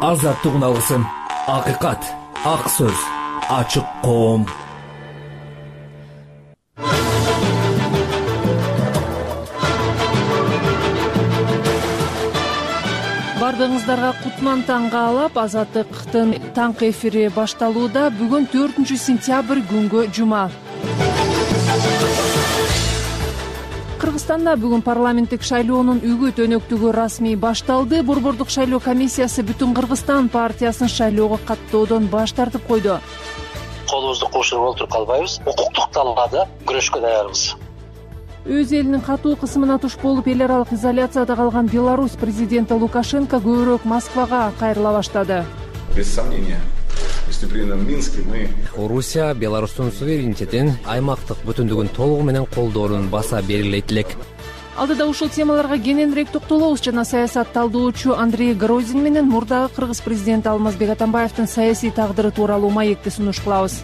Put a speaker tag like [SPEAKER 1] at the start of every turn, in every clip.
[SPEAKER 1] азаттык алгысым, акыйкат, ак сөз, ачык коом.
[SPEAKER 2] Бардыгыңыздарга кутман таң каалап, Азаттыктын таңкы эфири башталууда. Бүгүн 4 сентябрь күнгө жума. Кыргызстанда бүгүн парламенттик шайлоонун үгүт өнөктүгү расмий башталды. Борбордук шайлоо комиссиясы Бүтүн Кыргызстан партиясын шайлоого каттоодон баш тартып койду.
[SPEAKER 3] Колубузду кошуруп олтуруп калбайбыз. Укуктук талаада күрөшкө даярбыз.
[SPEAKER 2] Өз элинин катуу кысымына туш болуп, эл аралык изоляцияда калган Беларусь президенти Лукашенко көбүрөөк Москвага кайрыла баштады.
[SPEAKER 4] Без сомнения, если при Минске мы...
[SPEAKER 5] Орусия Беларустун суверенитетин, аймактык бүтүндүгүн толугу менен колдоонун баса берилет элек.
[SPEAKER 2] Алдыда ушул темаларга кененирээк токтолобуз жана саясат талдоочу Андрей Грозин менен мурдагы кыргыз президенти Алмазбек Атамбаевдин саясий тагдыры тууралуу маекти сунуш кылабыз.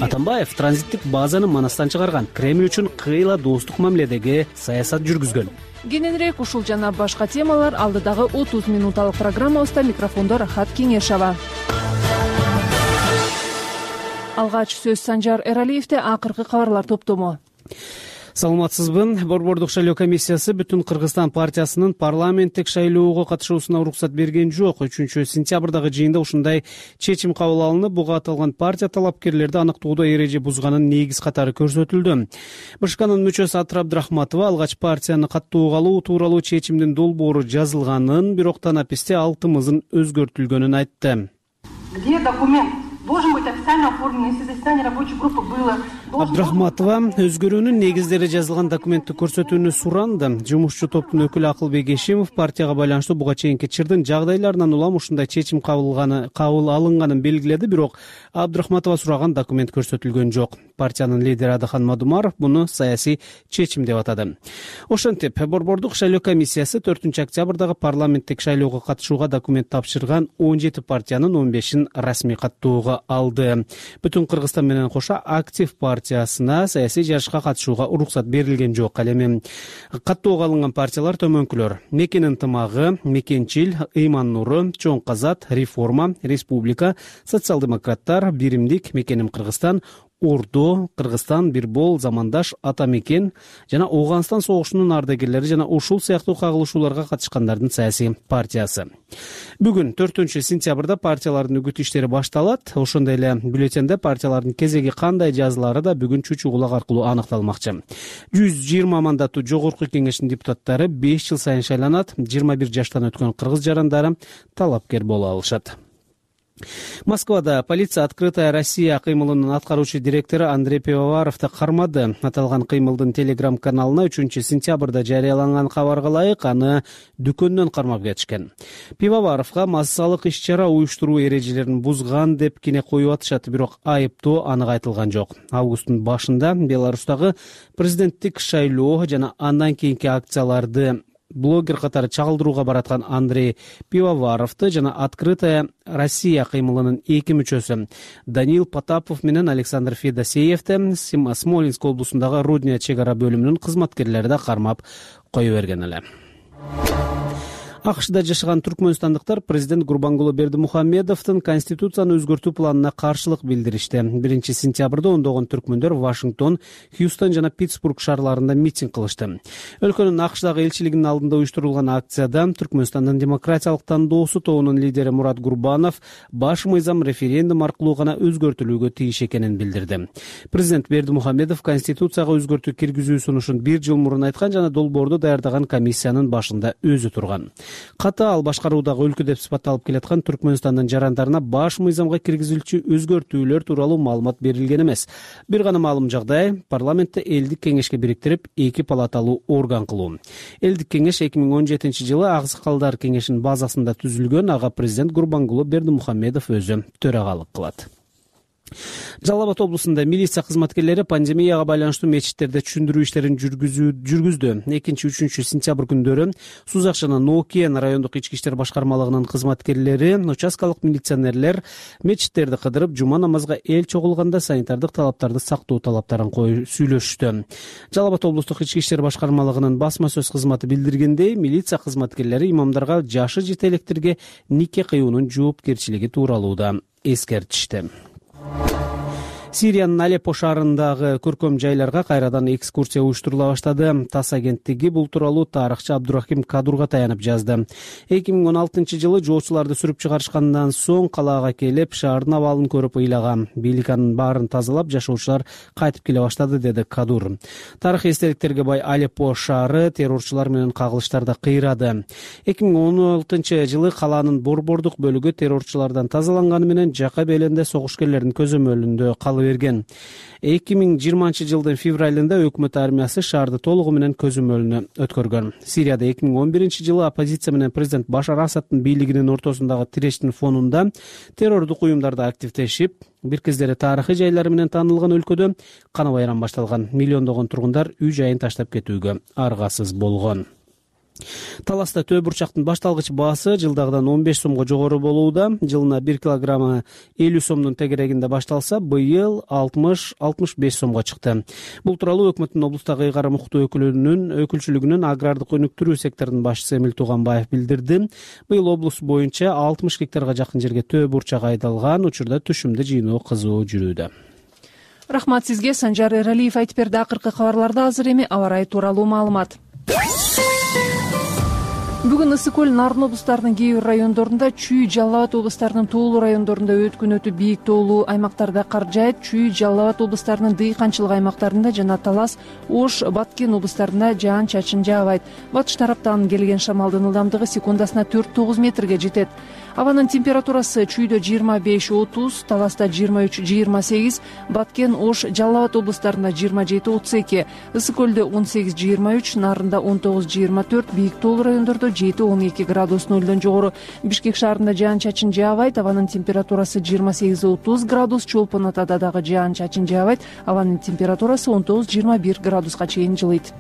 [SPEAKER 6] Атамбаев транзиттик базаны Манастан чыгарган, Кремль үчүн кыйла достук мамиледеги саясат жүргүзгөн.
[SPEAKER 2] Кененирээк ушул жана башка темалар алдыдагы 30 минуталык программабызда. Микрофондо Рахат Кеңешова. Алгач сөз Санжар Эралиевде. Акыркы кабарлар топтому.
[SPEAKER 6] Саламатсызбы. Борбордук шайлоо комиссиясы Бүтүн Кыргызстан партиясынын парламенттик шайлоого катышуусуна уруксат берген жок. 3 сентябрдагы жыйында ушундай чечим кабыл алынып, буга аталган партия талапкерлерди аныктоодо эреже бузганын негиз катары көрсөтүлдү. БШКнын мүчөсү Атыр Абдрахматова алгач партияны каттоого алуу тууралуу чечимдин долбоору жазылганын, бирок танаписте ал тымызын өзгөртүлгөнүн айтты.
[SPEAKER 7] Где документ? Должен быть официально оформлен, если заседание рабочей группы было.
[SPEAKER 6] Абдрахматова өзгөрүүнүн негиздери жазылган документти көрсөтүүнү суранды. Жумушчу топтун өкүлү Акылбек Эшимов партияга байланыштуу буга чейинки чырдын жагдайларынан улам ушундай чечим кабыл алынганын белгиледи, бирок Абдрахматова сураган документ көрсөтүлгөн жок. Партиянын лидери Адахан Мадумаров буну саясий чечим деп атады. Ошентип, Борбордук шайлоо комиссиясы 4 октябрдагы парламенттик шайлоого катышууга документ тапшырган 17 партиянын 15-ин расмий каттоого алды. Бүтүн Кыргызстан менен кошо Актив партиясына саясий жарышка катышууга уруксат берилген жок. Ал эми каттоого алынган партиялар төмөнкүлөр: Мекен ынтымагы, Мекенчил, Ыйман Нуру, Чоң Казат, Реформа, Республика, Социал-демократтар, Биримдик, Мекеним Кыргызстан, Ордо, Кыргызстан, Бирбол, Замандаш, Ата Мекен жана Ооганстан согушунун ардагерлери жана ушул сыяктуу кагылышууларга катышкандардын саясий партиясы. Бүгүн 4 сентябрда партиялардын үгүт иштери башталат. Ошондой эле бюллетенде партиялардын кезеги кандай жазылары да бүгүн чүчү кулак аркылуу аныкталмакчы. 120 мандаттуу жогорку кеңештин депутаттары 5 жыл сайын шайланат. 21 жаштан өткөн кыргыз жарандары талапкер боло алышат. Москвада полиция «Открытая Россия» кыймылынын аткаруучу директору Андрей Пивоваровду кармады. Аталган кыймылдын телеграм-каналына 3 сентябрда жарыяланган кабарга ылайык аны дүкөндөн кармап кетишкен. Пивоваровго массалык иш-чара уюштуруу эрежелерин бузган деп кине коюп атышат, бирок айыптоо анык айтылган жок. Августтун башында Беларустагы президенттик шайлоо жана андан кийинки акцияларды блогер катары чагылдырууга бараткан Андрей Пивоваровду жана «Открытая Россия» кыймылынын 2 мүчөсү Даниил Потапов менен Александр Федосеевди Смолинск облусундагы Рудня чек ара бөлүмүнүн кызматкерлери да кармап кое берген эле. АКШда жашаган түркмөнстандыктар президент Гурбангулы Бердимухамедовдун конституцияны өзгөртүү планына каршылык билдиришти. 1 сентябрда ондогон түркмөндөр Вашингтон, Хьюстон жана Питтсбург шаарларында митинг кылышты. Өлкөнүн АКШдагы элчилигинин алдында уюштурулган акцияда Түркмөнстандын демократиялык тандоосу тобунун лидери Мурат Гурбанов баш мыйзам референдум аркылуу гана өзгөртүлүүгө тийиш экенин билдирди. Президент Бердимухамедов конституцияга өзгөртүү киргизүү сунушун 1 жыл мурун айткан жана долбоорду даярдаган комиссиянын башында өзү турган. Катаал башкаруудагы өлкө деп сыпатталып келаткан Түркмөнстандын жарандарына баш мыйзамга киргизилчү өзгөртүүлөр тууралуу маалымат берилген эмес. Бир гана маалым жагдай парламентте элдик кеңешке бириктирип 2 палаталуу орган кылуу. Элдик кеңеш 2017 жылы Аксакалдар кеңешинин базасында түзүлгөн. Ага президент Гурбангулы Бердимухамедов өзү төрагалык кылат. Жалал Абад облусунда милиция кызматкерлери пандемияга байланыштуу мечиттерде түшүндүрүү иштерин жүргүздү. 2-3 сентябрь күндөрү Сузак жана Ноокиен райондук ички иштер башкармалыгынын кызматкерлери, участкалык милиционерлер мечиттерди кыдырып, жума намазга эл чогулганда санитардык талаптарды сактоо талаптарын сүйлөшүштү. Жалал Абад облустук ички иштер башкармалыгынын басма сөз кызматы билдиргендей, милиция кызматкерлери имамдарга жашы жете электерге нике кыюунун жоопкерчилиги тууралуу да эскертишти. Сириянын Алеппо шаарындагы көркөм жайларга кайрадан экскурсия уюштурула баштады. ТАСС агенттиги бул тууралуу тарыхчы Абдурахим Кадурга таянып жазды. 2016-жылы жоочуларды сүрүп чыгарышкандан соң калаага келип, шаардын абалын көрүп ыйлаган. Бийлик анын баарын тазалап, жашоочулар кайтып келе баштады, деди Кадур. Тарыхый эстеликтерге бай Алеппо шаары террорчулар менен кагылыштарда кыйрады. 2016-жылы калаанын борбордук бөлүгү террорчулардан тазаланганы менен жака беленде согушкерлердин көзөмөлүндө калып берген. 2020-жылдын февралында өкмөт армиясы шаарды толугу менен көзөмөлүнө өткөргөн. Сирияда 2011-жылы оппозиция менен президент Башар Асадтын бийлигинин ортосундагы тирештин фонунда террордук уюмдарда активдешип, бир кездери тарыхый жайлары менен таанылган өлкөдө кана байрам башталган. Миллиондогон тургундар үй жайын таштап кетүүгө аргасыз болгон. Таласта төө бурчактын башталгыч баасы жылдагыдан 15 сомго жогору болууда. Жылына 1 килограммы 50 сомдун тегерегинде башталса, быйыл 60-65 сомго чыкты. Бул тууралуу өкмөттүн облустагы ыйгарым укуктуу өкүлчүлүгүнүн агрардык өнүктүрүү секторунун башчысы Эмил Туганбаев билдирди. Быйыл облус боюнча 60 гектарга жакын жерге төө бурчак айдалган. Учурда түшүмдү жыйноо кызуу жүрүүдө.
[SPEAKER 2] Рахмат сизге. Санжар Эралиев айтып берди. Акыркы кабарларда азыр эми аба ырайы тууралуу маалымат. Бүгүн Ысык көл, Нарын облустарынын кээ бир райондорунда, Чүй, Жалал Абад облустарынын тоолуу райондорунда өткүн өтүп бийик тоолуу аймактарда кар жаайт. Чүй, Жалал Абад облустарынын дыйканчылык аймактарында жана Талас, Ош, Баткен облустарында жаан-чачын жаабайт. Батыш тараптан келген шамалдын ылдамдыгы секундасына 4-9 метрге жетет. Абанын температурасы Чүйдө 25-30, Таласта 23-28, Баткен, Ош, Жалал Абад облустарында 27-32, Ысык көлдө 18-23, Нарында 19-24, бийик тоолуу райондордо 7-12 градус нөлдөн жогору. Бишкек шаарында жаан-чачын жаабайт. Абанын температурасы 28-30 градус, Чолпон Атада дагы жаан-чачын жаабайт. Абанын температурасы 19-21 градуска чейин жылыйт.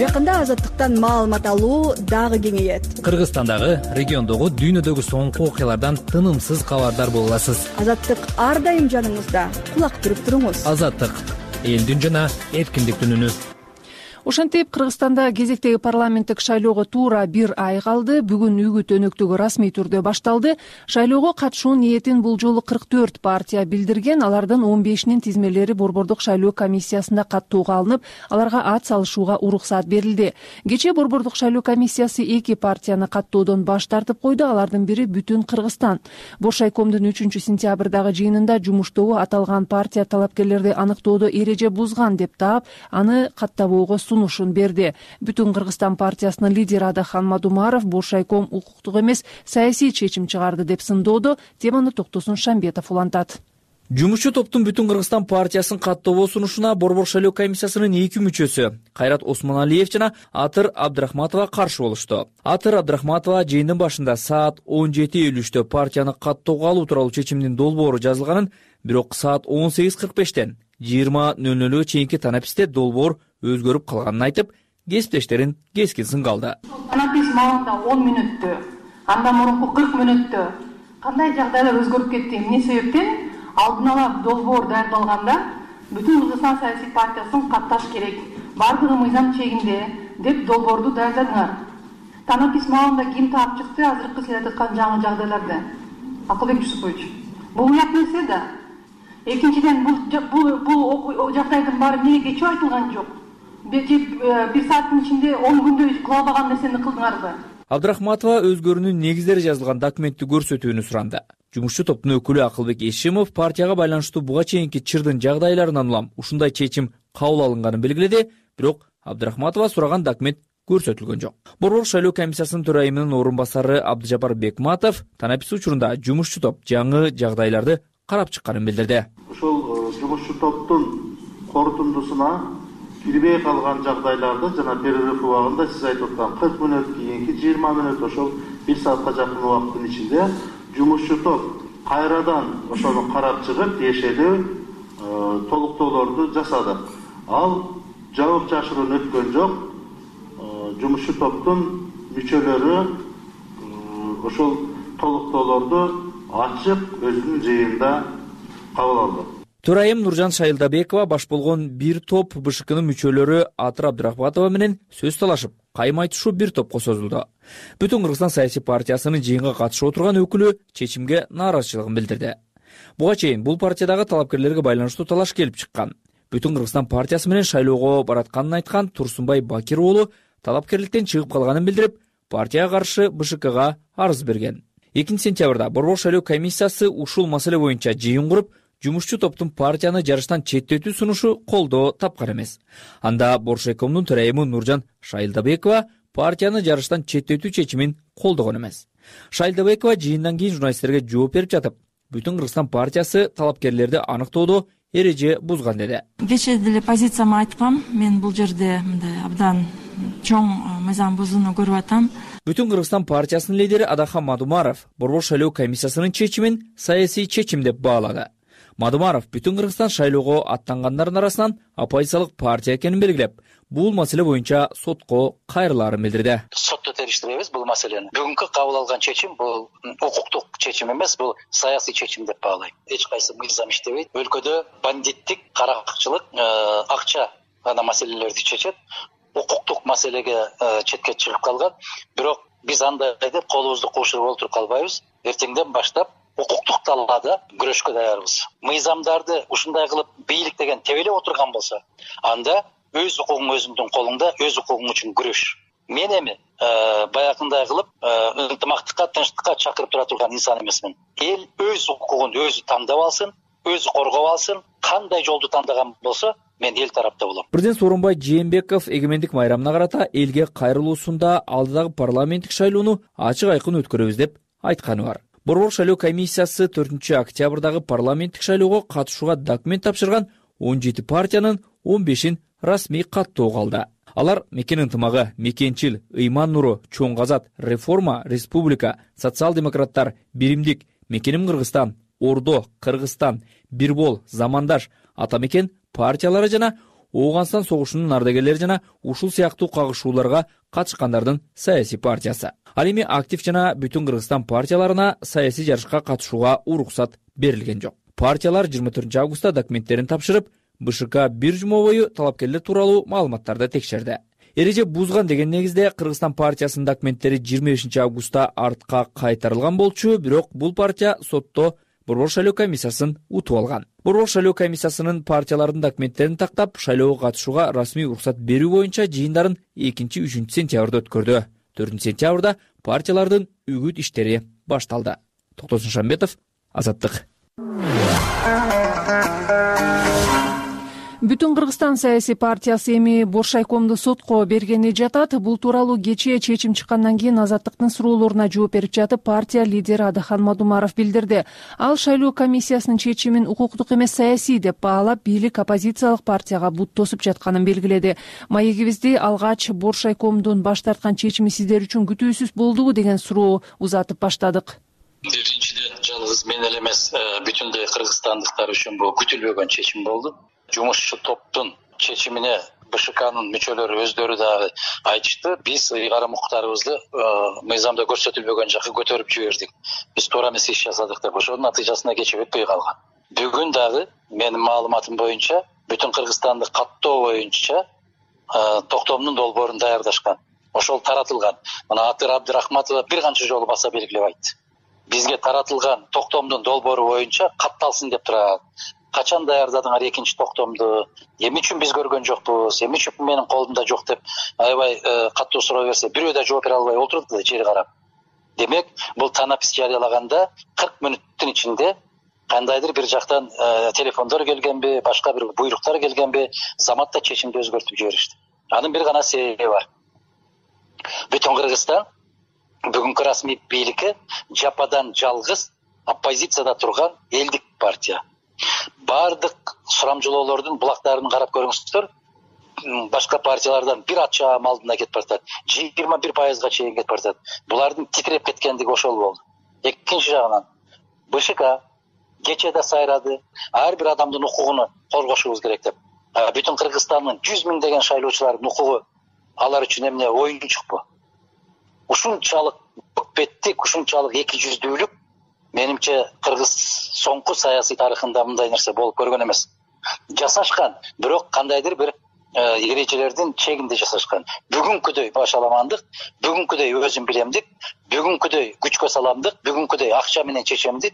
[SPEAKER 8] Жакында азаттыктан маалымат алуу дагы кеңейет.
[SPEAKER 5] Кыргызстандагы, региондогу, дүйнөдөгү соңку окуялардан тынымсыз кабардар боло аласыз.
[SPEAKER 8] Азаттык ар дайым жаныңызда. Кулак түрүп туруңуз.
[SPEAKER 5] Азаттык, элдин жана эркиндиктин үнү.
[SPEAKER 2] Ошентип, Кыргызстанда кезектеги парламенттик шайлоого туура 1 ай калды. Бүгүн үгүт өнөктүгү расмий түрдө башталды. Шайлоого катышуу ниетин бул жолу 44 партия билдирген. Алардын 15-нин тизмелери борбордук шайлоо комиссиясында каттууга алынып, аларга ат салышууга уруксат берилди. Кечээ борбордук шайлоо комиссиясы 2 партияны каттоодон баш тартып койду. Алардын бири Бүтүн Кыргызстан. Бошайкомдун 3-сентябрдагы жыйынында жумуштогу аталган партия талапкерлерди аныктоодо эреже бузган деп таап, аны каттабоого сунушун берди. Бүтүн Кыргызстан партиясынын лидери Адахан Мадумаров Бошайком укуктук эмес, саясий чечим чыгарды деп сындоодо. Теманы Токтосун Шамбетов улантат.
[SPEAKER 9] Жумушчу топтун Бүтүн Кыргызстан партиясын каттоого сунушуна борбор шайлоо комиссиясынын 2 мүчөсү Кайрат Осмоналиев жана Атыр Абдрахматова каршы болушту. Атыр Абдрахматова жыйындын башында саат 17:53 партияны каттоого алуу тууралуу чечимдин долбоору жазылганын, бирок саат 18:45 20:00 чейинки танаписте долбоор өзгөрүп калганын айтып, кесиптештерин кескин сынгалды.
[SPEAKER 7] Танапис маалында 10 мүнөттө, андан мурунку 40 мүнөттө кандай жагдайлар өзгөрүп кетти? Эмне себептен алдын ала долбоор даярдалганда Бүтүн Кыргызстан саясий партиясын катташ керек, бардыгы мыйзам чегинде деп долбоорду даярдадыңар. Танапис маалында ким таап чыкты азыркы сиз айткан жаңы жагдайларды? Акылбек Жусупович. Бул уят нерсе да. Экинчиден, бул жагдайдын баары эмнеге кечүү айтылган жок? Bir saatin içinde 10 күндө кыла албаган нерсени кылдыңарбы?
[SPEAKER 9] Абдрахматова өзгөрүүнүн негиздери жазылган документти көрсөтүүнү суранды. Жумушчу топтун өкүлү Акылбек Эшимов партияга байланыштуу буга чейинки чырдын жагдайларынан улам ушундай чечим кабыл алынганын белгиледи, бирок Абдрахматова сураган документ көрсөтүлгөн жок. Борбор шайлоо комиссиясынын төрайымынын орун басары Абдыжапар Бекматов танапис учурунда жумушчу топ жаңы жагдайларды карап чыкканын билдирди.
[SPEAKER 10] Ушул жумушчу топтун корутундусуна кирбей калган жагдайларда жана перерыв убагында сиз айтып аткан 40 мүнөт кийинки 20 мүнөт ошол 1 саатка жакын убакыттын ичинде жумушчу топ кайрадан ошону карап чыгып тиешелүү толуктоолорду жасады. Ал жабык жашыруун өткөн жок. Жумушчу топтун мүчөлөрү ошол толуктоолорду ачык өзүнүн жыйынында кабыл алды.
[SPEAKER 9] Төрайым Нуржан Шайылдабекова баш болгон бир топ БШКнын мүчөлөрү Атыр Абдрахматова менен сөз талашып, кайым айтышуу бир топко созулду. Бүтүн Кыргызстан саясий партиясынын жыйынга катышып отурган өкүлү чечимге нааразычылыгын билдирди. Буга чейин бул партиядагы талапкерлерге байланыштуу талаш келип чыккан. Бүтүн Кыргызстан партиясы менен шайлоого баратканын айткан Турсунбай Бакир уулу талапкерликтен чыгып калганын билдирип, партияга каршы БШКга арыз берген. 2 сентябрда Борбор шайлоо комиссиясы ушул маселе боюнча жыйын куруп, жумушчу топтун партияны жарыштан четтетүү сунушу колдоо тапкан эмес. Анда Боршайкомдун төрайымы Нуржан Шайылдабекова партияны жарыштан четтетүү чечимин колдогон эмес. Шайылдабекова жыйындан кийин журналисттерге жооп берип жатып, Бүтүн Кыргызстан партиясы талапкерлерди аныктоодо эреже бузган деди.
[SPEAKER 11] Кечээ деле позицияны айткам, мен бул жерде мындай абдан чоң мыйзам бузууну көрүп атам.
[SPEAKER 9] Бүтүн Кыргызстан партиясынын лидери Адахан Мадумаров Борбор шайлоо комиссиясынын чечимин саясий чечим деп баалады. Мадумаров Бүтүн Кыргызстан шайлоого аттангандардын арасынан оппозициялык партия экенин белгилеп, бул маселе боюнча сотко кайрылаарын билдирди.
[SPEAKER 3] Сотто териштиребиз бул маселени. Бүгүнкү кабыл алган чечим бул укуктук чечим эмес, бул саясий чечим деп баалайм. Эч кайсы мыйзам иштебейт. Өлкөдө бандиттик, каракчылык, акча гана маселелерди чечет. Укуктук маселеге четке чыгып калган. Бирок биз андай деп колубузду куушуруп олтуруп калбайбыз. Эртеңден баштап укуктук талаада күрөшкө даярбыз. Мыйзамдарды ушундай кылып бийлик деген тебелеп отурган болсо, анда өз укугуң өзүңдүн колуңда, өз укугуң үчүн күрөш. Мен эми баягындай кылып ынтымактыкка, тынчтыкка чакырып тура турган инсан эмесмин. Эл өз укугун өзү тандап алсын, өзү коргоп алсын, кандай жолду тандаган болсо, мен эл тарапта болом.
[SPEAKER 9] Президент Сооронбай Жээнбеков эгемендик майрамына карата элге кайрылуусунда алдыдагы парламенттик шайлоону ачык айкын өткөрөбүз деп айтканы бар. Борбор шайлоо комиссиясы 4 октябрдагы парламенттик шайлоого катышууга документ тапшырган 17 партиянын 15-ин расмий каттоого алды. Алар Мекен ынтымагы, Мекенчил, Ыйман нуру, Чоң Казат, Реформа, Республика, Социал-демократтар, Биримдик, Мекеним Кыргызстан, Ордо, Кыргызстан, Бирбол, Замандаш, Ата Мекен партиялары жана Оогунстан согушунун ардагерлери жана ушул сыяктуу кагышууларга катышкандардын саясий партиясы. Ал эми актив жана Бүтүн Кыргызстан партияларына саясий жарышка катышууга уруксат берилген жок. Партиялар 24 августта документтерин тапшырып, БШК бир жума бою талапкерлер тууралуу маалыматтарды текшерди. Эреже бузган деген негизде Кыргызстан партиясынын документтери 25 августта артка кайтарылган болчу, бирок бул партия сотто Борбор шайлоо комиссиясын утуп алган. Борбор шайлоо комиссиясынын партиялардын документтерин тактап, шайлоого катышууга расмий уруксат берүү боюнча жыйындарын 2-3 сентябрда өткөрдү. 4 сентябрда партиялардын үгүт иштери башталды. Токтосун Шамбетов, Азаттык.
[SPEAKER 2] Бүтүн Кыргызстан саясий партиясы эми Боршайкомду сотко бергени жатат. Бул тууралуу кечээ чечим чыккандан кийин Азаттыктын суроолоруна жооп берип жатып, партия лидери Адахан Мадумаров билдирди. Ал шайлоо комиссиясынын чечимин укуктук эмес саясий деп баалап, бийлик оппозициялык партияга бут тосуп жатканын белгиледи. Маегибизди алгач Боршайкомдун баш тарткан чечими сиздер үчүн күтүүсүз болдубу деген суроо узатып баштадык.
[SPEAKER 3] Биринчиден, жалгыз мен эле эмес, бүтүндөй кыргызстандыктар үчүн бул күтүлбөгөн чечим болду. Жумушчу топтун чечимине БШКнын мүчөлөрү өздөрү дагы айтышты. Биз ыйгарым укуктарыбызды мыйзамда көрсөтүлбөгөн жакка көтөрүп жибердик. Биз туура эмес иш жасадык деп, ошонун натыйжасында кечип өтпөй калган. Бүгүн дагы менин маалыматым боюнча бүтүн Кыргызстанды каттоо боюнча токтомдун долбоорун даярдашкан. Ошол таратылган. Мына Атыр Абдрахматова бир канча жолу баса белгилеп айтты. Бизге таратылган токтомдун долбоору боюнча катталсын деп турат. Качан даярдадыңар экинчи токтомду? Эмне үчүн биз көргөн жокпуз? Эмне үчүн менин колумда жок деп аябай каттуу суроо берсе, бирөө да жооп бере албай отурду да жери карап. Демек, бул танапис жарыялаганда 40 мүнөттүн ичинде кандайдыр бир жактан телефондор келгенби, башка бир буйруктар келгенби, заматта чечимди өзгөртүп жиберишти. Анын бир гана себеби бар. Бүтүн Кыргызстан бүгүнкү расмий бийликке жападан жалгыз оппозицияда турган элдик партия. Бардык сурамжылоолордун булактарын карап көрүңүздөр. башка партиялардан бир ат чаам алдына кетип баратат, 21% чейин кетип баратат. Булардын титиреп кеткендиги ошол болду. Экинчи жагынан БШК кечеде сайрады, ар бир адамдын укугун коргошубуз керек деп. Бүтүн Кыргызстандын 100 миңдеген шайлоочулардын укугу алар үчүн эмне оюнчукпу? Ушунчалык өкпеттик, ушунчалык эки жүздүүлүк менимче Кыргыз соңку саясий тарыхында мындай нерсе болуп көргөн эмес. Жасашкан, бирок кандайдыр бир эрежелердин чегинде жасашкан. Бүгүнкүдөй башаламандык, бүгүнкүдөй өзүм билемдик, бүгүнкүдөй күчкө саламдык, бүгүнкүдөй акча менен чечемдик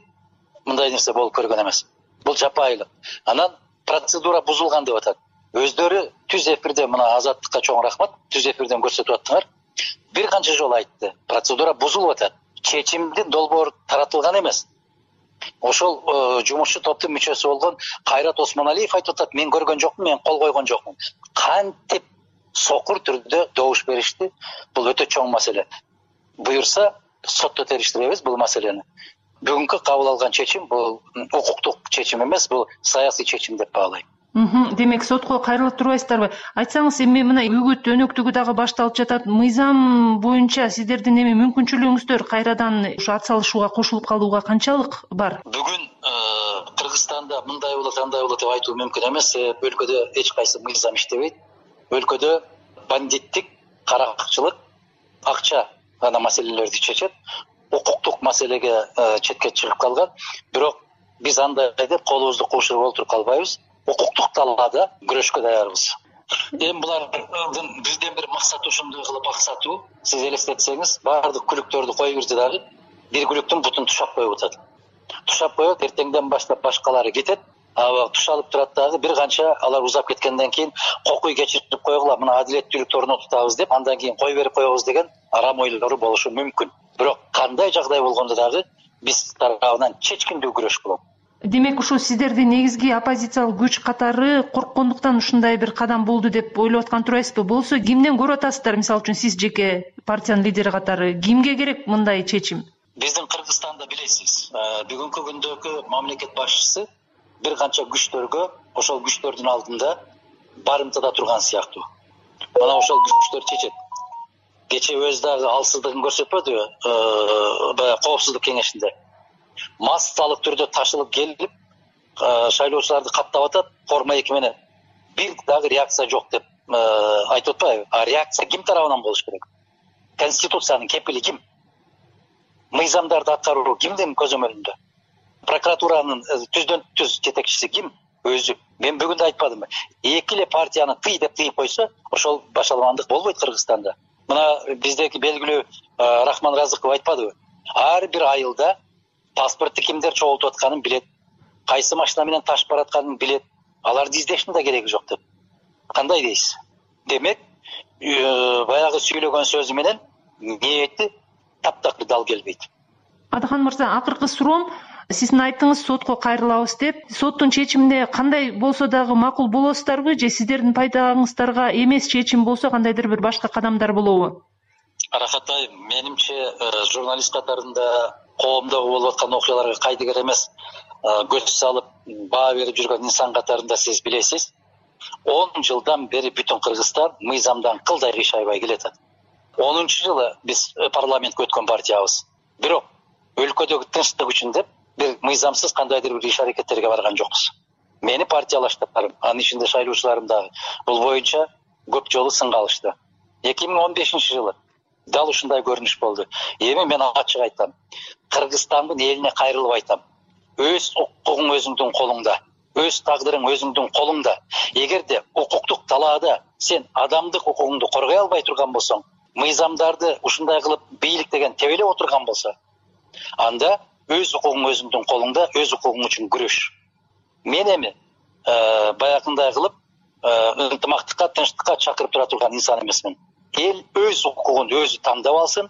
[SPEAKER 3] мындай нерсе болуп көргөн эмес. Бул жапайылык. Анан процедура бузулган деп атат. Өздөрү түз эфирде, мына Азаттыкка чоң рахмат, түз эфирден көрсөтүп аттыңар. Бир канча жолу айтты. Процедура бузулуп атат. Чечимдин долбоору таратылган эмес. Ошол жумушчу топтун мүчөсү болгон Кайрат Осмоналиев айтып атат, мен көргөн жокмун, мен кол койгон жокмун. Кантип сокур түрдө добуш беришти? Бул өтө чоң маселе. Буюрса, сотто териштиребиз бул маселени. Бүгүнкү кабыл алган чечим бул укуктук чечим эмес, бул саясий чечим деп баалайм.
[SPEAKER 2] Демек сотко кайрылып турбайсыздарбы? Айтсаңыз, эми мына үгүт өнөктүгү дагы башталып жатат. Мыйзам боюнча сиздердин эми мүмкүнчүлүгүңүздөр кайрадан ушу ат салышууга, кошулуп калууга канчалык бар?
[SPEAKER 3] Бүгүн Кыргызстанда мындай болот, андай болот деп айтуу мүмкүн эмес. Өлкөдө эч кайсы мыйзам иштебейт. Өлкөдө бандиттик, каракчылык, акча гана маселелерди чечет. Укуктук маселеге четке чыгып калган. Бирок биз андай деп колубузду куушуруп олтуруп калбайбыз. Укуктук талаада күрөшкө даярбыз. Эми булардын бизден бир максаты ушундай кылып аксатуу. Сиз элестетсеңиз, баардык күлүктөрдү коюп бирди дагы бир күлүктүн бутун тушап коюп атат. Тушап коюп, эртеңден баштап башкалары кетет. Тушалып турат дагы бир канча алар узап кеткенден кийин кокуй кечирип койгула, мына адилеттүүлүктү орнотутабыз деп, андан кийин кой берип коебуз деген арам ойлору болушу мүмкүн. Бирок кандай жагдай болгондо дагы биз тарабынан чечкиндүү күрөш болот.
[SPEAKER 2] Демек ушу сиздердин негизги оппозициялык күч катары корккондуктан ушундай бир кадам болду деп ойлоп аткан турбайсызбы? Болсо кимден көрүп атасыздар? Мисалы үчүн сиз жеке партиянын лидери катары кимге керек мындай чечим?
[SPEAKER 3] Биздин Кыргызстанда билесиз, бүгүнкү күндөгү мамлекет башчысы бир канча күчтөргө, ошол күчтөрдүн алдында барымтада турган сыяктуу. Мына ошол күчтөр чечет. Кече өз дагы алсыздыгын көрсөтпөдүбү? Баягы коопсуздук кеңешинде массалык түрдө ташылып келип, шайлоочуларды каттап атат, форма 2 менен. Бир дагы реакция жок деп айтып атпайбы? Реакция ким тарабынан болуш керек? Конституциянын кепили ким? Мыйзамдарды аткаруу кимдин көзөмөлүндө? Прокуратуранын түздөн түз жетекчиси ким? Өзү. Мен бүгүн да айтпадымбы? Эки эле партияны тый деп тыйып койсо, ошол башаламандык болбойт Кыргызстанда. Мына биздеки белгилүү Рахман Разыков айтпадыбы? Ар бир айылда паспортты кимдер чогултуп атканын билет, кайсы машина менен ташып баратканын билет. Аларды издештин да кереги жок деп. Кандай дейсиз? Демек, баягы сүйлөгөн сөзү менен ниети таптакыр дал келбейт.
[SPEAKER 2] Адахан мырза, акыркы суроом, сиздин айттыңыз сотко кайрылабыз деп. Соттун чечимине кандай болсо дагы макул болосуздарбы же сиздердин пайдаңыздарга эмес чечим болсо кандайдыр бир башка кадамдар болобу?
[SPEAKER 3] Аракатай, менимче журналист катарында коомдо болуп аткан окуяларга кайдыгер эмес көз салып баа берип жүргөн инсан катарында сиз билесиз, 10 жылдан бери бүтүн Кыргызстан мыйзамдан кылдай кыйшайбай келатат. 10-жылы биз парламентке өткөн партиябыз. Бирок өлкөдөгү тынчтык үчүн деп бир мыйзамсыз кандайдыр бир иш аракеттерге барган жокпуз. Мени партиялаштарым, анын ичинде шайлоочуларым дагы бул боюнча көп жолу сынга алышты. 2015-жылы дал ушундай көрүнүш болду. Эми мен ачык айтам, Кыргызстандын элине кайрылып айтам. Өз укугуң өзүңдүн колуңда, өз тагдырың өзүңдүн колуңда. Эгерде укуктук талаада сен адамдык укугуңду коргой албай турган болсоң, мыйзамдарды ушундай кылып бийлик деген тебелеп отурган болсо, анда өз укугуң өзүңдүн колуңда, өз укугуң үчүн күрөш. Мен эми баягындай кылып ынтымактыкка, тынчтыкка чакырып тура турган инсан эмесмин. Эл өз укугун өзү тандап алсын,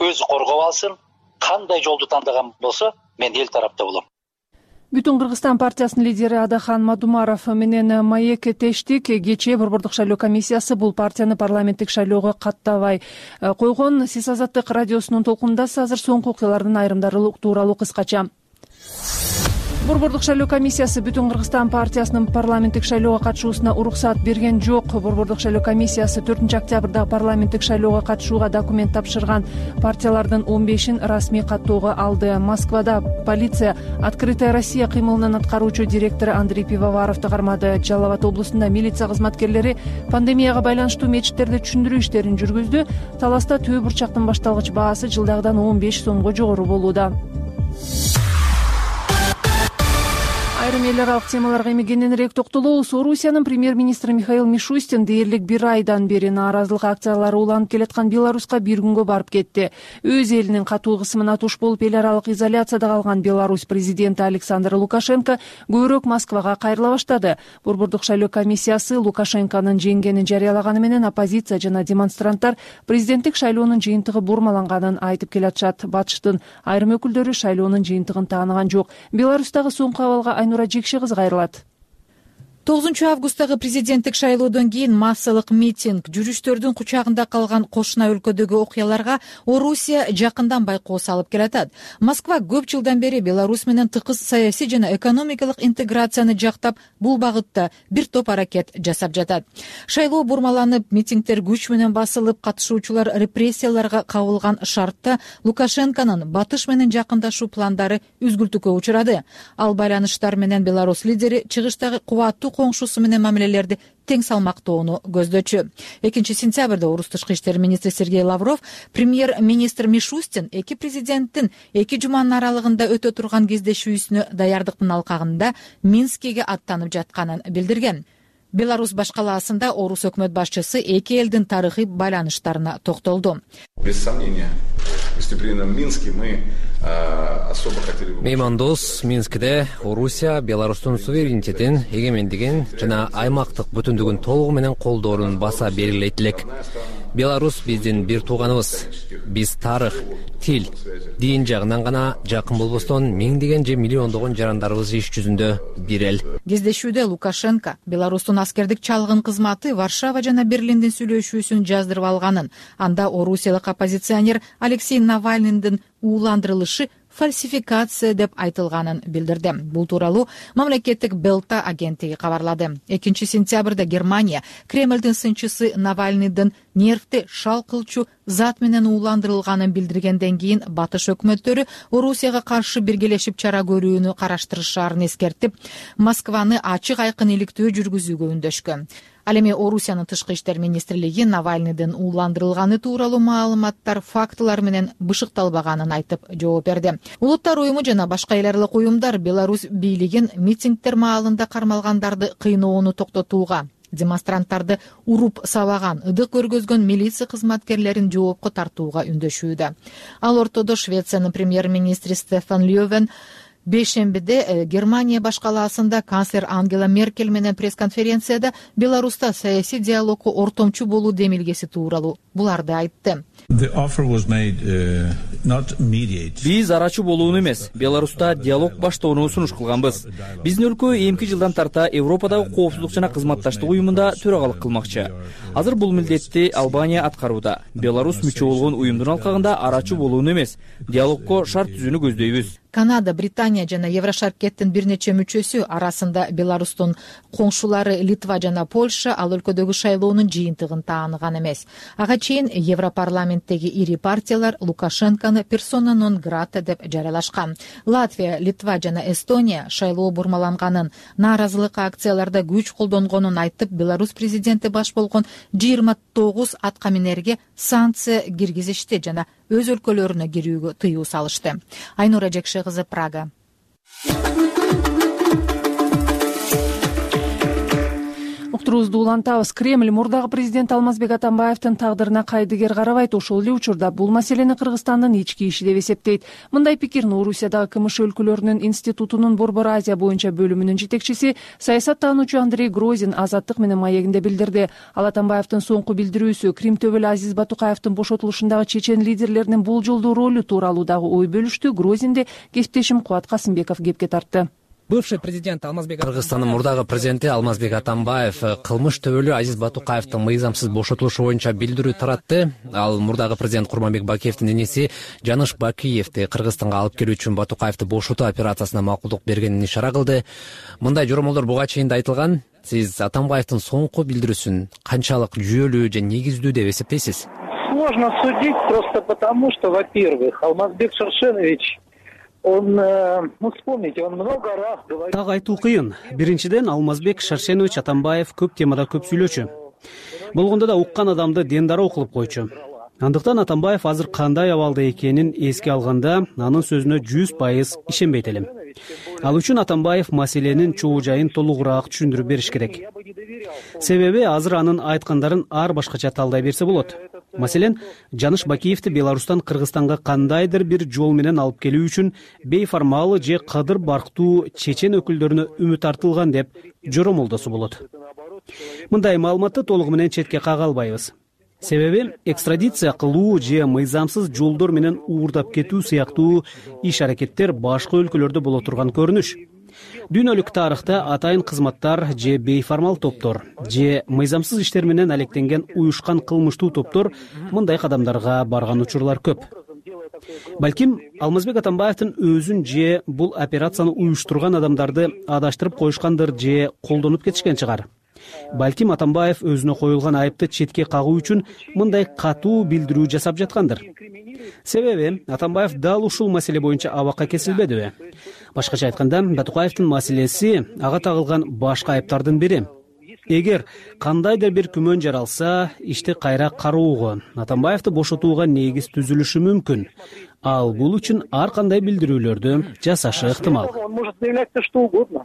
[SPEAKER 3] өзү коргоп алсын. Кандай жолду тандаган болсо, мен эл тарапта болом.
[SPEAKER 2] Бүтүн Кыргызстан партиясынын лидери Адахан Мадумаров менен маек тештик. Кечээ Борбордук шайлоо комиссиясы бул партияны парламенттик шайлоого каттабай койгон. Сиз Азаттык радиосунун толкунундасыз. Азыр соңку окуялардын айрымдары тууралуу кыскача. Борбордук шайлоо комиссиясы Бүтүн Кыргызстан партиясынын парламенттик шайлоого катышуусуна уруксаат берген жок. Борбордук шайлоо комиссиясы 4-октябрда парламенттик шайлоого катышууга документ тапшырган партиялардын 15-ин расмий каттоого алды. Москвада полиция Открытая Россия кыймылынын аткаруучу директору Андрей Пивоваровду кармады. Жалал Абад облусунда милиция кызматкерлери пандемияга байланыштуу мечиттерде түшүндүрүү иштерин жүргүздү. Таласта төө бурчактын башталгыч баасы жылдагыдан 15 сомго жогору болууда. Айрым эл аралык темаларга эми кененирээк токтолобуз. Орусиянын премьер-министри Михаил Мишустин дээрлик бир айдан бери нааразылык акциялары уланып келаткан Беларуска бир күнгө барып кетти. Өз элинин катуу кысымына туш болуп эл аралык изоляцияда калган Беларусь президенти Александр Лукашенко көбүрөөк Москвага кайрыла баштады. Борбордук шайлоо комиссиясы Лукашенконун жеңгенин жарыялаганы менен оппозиция жана демонстранттар президенттик шайлоонун жыйынтыгы бурмаланганын айтып келатышат. Батыштын айрым өкүлдөрү шайлоонун жыйынтыгын тааныган жок. Беларустагы соңку абалга Айнура Жекши кызы кайрылат.
[SPEAKER 12] 9-августтагы президенттик шайлоодон кийин массалык митинг, жүрүштөрдүн кучагында калган кошуна өлкөдөгү окуяларга Орусия жакындан байкоо салып келатат. Москва көп жылдан бери Беларусь менен тыкыз саясий жана экономикалык интеграцияны жактап, бул багытта бир топ аракет жасап жатат. Шайлоо бурмаланып, митингдер күч менен басылып, катышуучулар репрессияларга кабылган шартта Лукашенконун батыш менен жакындашуу пландары үзгүлтүккө учурады. Ал байланыштар менен Беларусь лидери чыгыштагы кубаттуу коңшусу менен мамилелерди тең салмактоону көздөчү. 2-сентябрда Орус тышкы иштер министри Сергей Лавров премьер-министр Мишустин эки президенттин 2 жуманын аралыгында өтө турган кездешүүсүнө даярдыктын алкагында Минскиге аттанып жатканын билдирген. Беларусь башкалаасында Орус өкмөт башчысы эки элдин тарыхый байланыштарына токтолду.
[SPEAKER 4] Без сомнения, выступление в Минске мы особо хотели бы...
[SPEAKER 5] Меймандос Минскиде Орусия Беларустун суверенитетин, эгемендигин жана аймактык бүтүндүгүн толугу менен колдоорун баса белгилейт элек. Беларусь биздин бир тууганыбыз. Биз тарых, тил, дин жагынан гана жакын болбостон миңдеген же миллиондогон жарандарыбыз иш жүзүндө бир эл.
[SPEAKER 12] Кездешүүдө Лукашенко Беларустун аскердик чалгын кызматы Варшава жана Берлиндин сүйлөшүүсүн жаздырып алганын, анда орусиялык оппозиционер Алексей Навальныйдын ууландырылышы фальсификация деп айтылганын билдирди. Бул тууралуу мамлекеттик Белта агенттиги кабарлады. 2-сентябрда Германия Кремлдин сынчысы Навальныйдын нервти шал кылчу зат менен ууландырылганын билдиргенден кийин батыш өкмөттөрү Орусияга каршы биргелешип чара көрүүнү караштырышаарын эскертип, Москваны ачык айкын иликтөө жүргүзүүгө үндөшкөн. Ал эми Орусиянын тышкы иштер министрлиги Навальныйдын ууландырылганы тууралуу маалыматтар, фактылар менен бышыкталбаганын айтып жооп берди. Улуттар уюму жана башка эл аралык уюмдар Беларусь бийлигин митингдер маалында кармалгандарды кыйноону токтотууга, демонстранттарды уруп сабаган, ыдык көргөзгөн милиция кызматкерлерин жоопко тартууга үндөшүүдө. Ал ортодо Швециянын премьер-министри Стефан Лёвен бейшембиде Германия башкалаасында канцлер Ангела Меркель менен пресс-конференцияда Беларуста саясий диалогко ортомчу болуу демилгеси тууралуу буларды айтты.
[SPEAKER 9] Биз арачы болууну эмес, Беларуста диалог баштоону сунуш кылганбыз. Биздин өлкө эмки жылдан тарта Европадагы коопсуздук жана кызматташтык уюмунда төрагалык кылмакчы. Азыр бул милдетти Албания аткарууда. Беларусь мүчө болгон уюмдун алкагында арачы болууну эмес, диалогко шарт түзүүнү көздөйбүз.
[SPEAKER 12] Канада, Британия жана Еврошаркеттин бир нече мүчөсү арасында Беларустун коңшулары Литва жана Польша ал өлкөдөгү шайлоонун жыйынтыгын тааныган эмес. Ага чейин Европарламенттеги ири партиялар Лукашенкону персона нон грата деп жарыялашкан. Латвия, Литва жана Эстония шайлоо бурмаланганын, нааразылык акцияларда күч колдонгонун айтып, Беларусь президенти баш болгон 29 аткаминерге санкция киргизишти жана өз өлкөлөрүнө кирүүгө тыюу салышты. Айнура Жекши кызы, Прага.
[SPEAKER 2] Уктуруубузду улантабыз. Кремль мурдагы президент Алмазбек Атамбаевдин тагдырына кайдыгер карабайт. Ошол эле учурда бул маселени Кыргызстандын ички иши деп эсептейт. Мындай пикирни Орусиядагы КМШ өлкөлөрүнүн институтунун Борбор Азия боюнча бөлүмүнүн жетекчиси, саясаттануучу Андрей Грозин Азаттык менен маегинде билдирди. Ал Атамбаевдин соңку билдирүүсү, Крим төбөлү Азиз Батукаевдин бошотулушундагы чечен лидерлеринин болжолдуу ролу тууралуу дагы ой бөлүштү. Грозинди кесиптешим Кубат Касымбеков кепке тартты.
[SPEAKER 5] Бывший президент Алмазбек Кыргызстандын мурдагы президенти Алмазбек Атамбаев кылмыш төбөлүү Азиз Батукаевдин мыйзамсыз бошотулушу боюнча билдирүү таратты. Ал мурдагы президент Курманбек Бакиевдин иниси Жаныш Бакиевди Кыргызстанга алып келүү үчүн Батукаевди бошотуу операциясына макулдук бергенин ишара кылды. Мындай жоромолдор буга чейин да айтылган. Сиз Атамбаевдин соңку билдирүүсүн канчалык жүйөлүү же негиздүү деп эсептейсиз?
[SPEAKER 13] Сложно судить просто потому, что, во-первых, Алмазбек Шаршенович, вспомните, он много раз говорил...
[SPEAKER 6] Так айтуу кыйын. Биринчиден, Алмазбек Шаршенович Атамбаев көп темада көп сүйлөчү. Болгондо да уккан адамды дендароо кылып койчу. Андыктан Атамбаев азыр кандай абалда экенин эске алганда, анын сөзүнө 100% ишенбейт элем. Ал үчүн Атамбаев маселенин чоо жайын толугураак түшүндүрүп бериш керек. Себеби азыр анын айткандарын ар башкача талдай берсе болот. Маселен, Жаныш Бакиевди Беларустан Кыргызстанга кандайдыр бир жол менен алып келүү үчүн бейформал же кадыр барктуу чечен өкүлдөрүнө үмүт артылган деп жоромолдосо болот. Мындай маалыматты толугу менен четке кага албайбыз. Себеби экстрадиция кылуу же мыйзамсыз жолдор менен уурдап кетүү сыяктуу иш-аракеттер башка өлкөлөрдө боло турган көрүнүш. Дүйнөлүк тарыхта атайын кызматтар же бейформал топтор же мыйзамсыз иштер менен алектенген уюшкан кылмыштуу топтор мындай кадамдарга барган учурлар көп. Балким Алмазбек Атамбаевдин өзүн же бул операцияны уюштурган адамдарды адаштырып коюшкандыр же колдонуп кетишкен чыгар. Балким Атамбаев өзүнө коюлган айыпты четке кагуу үчүн мындай катуу билдирүү жасап жаткандыр. Себеби Атамбаев дал ушул маселе боюнча абакка кесилбедиби? Башкача айтканда, Батукаевдин маселеси ага тагылган башка айыптардын бири. Эгер кандайдыр бир күмөн жаралса, ишти кайра кароого, Атамбаевди бошотууга негиз түзүлүшү мүмкүн. Ал бул үчүн ар кандай билдирүүлөрдү жасашы ыктымал.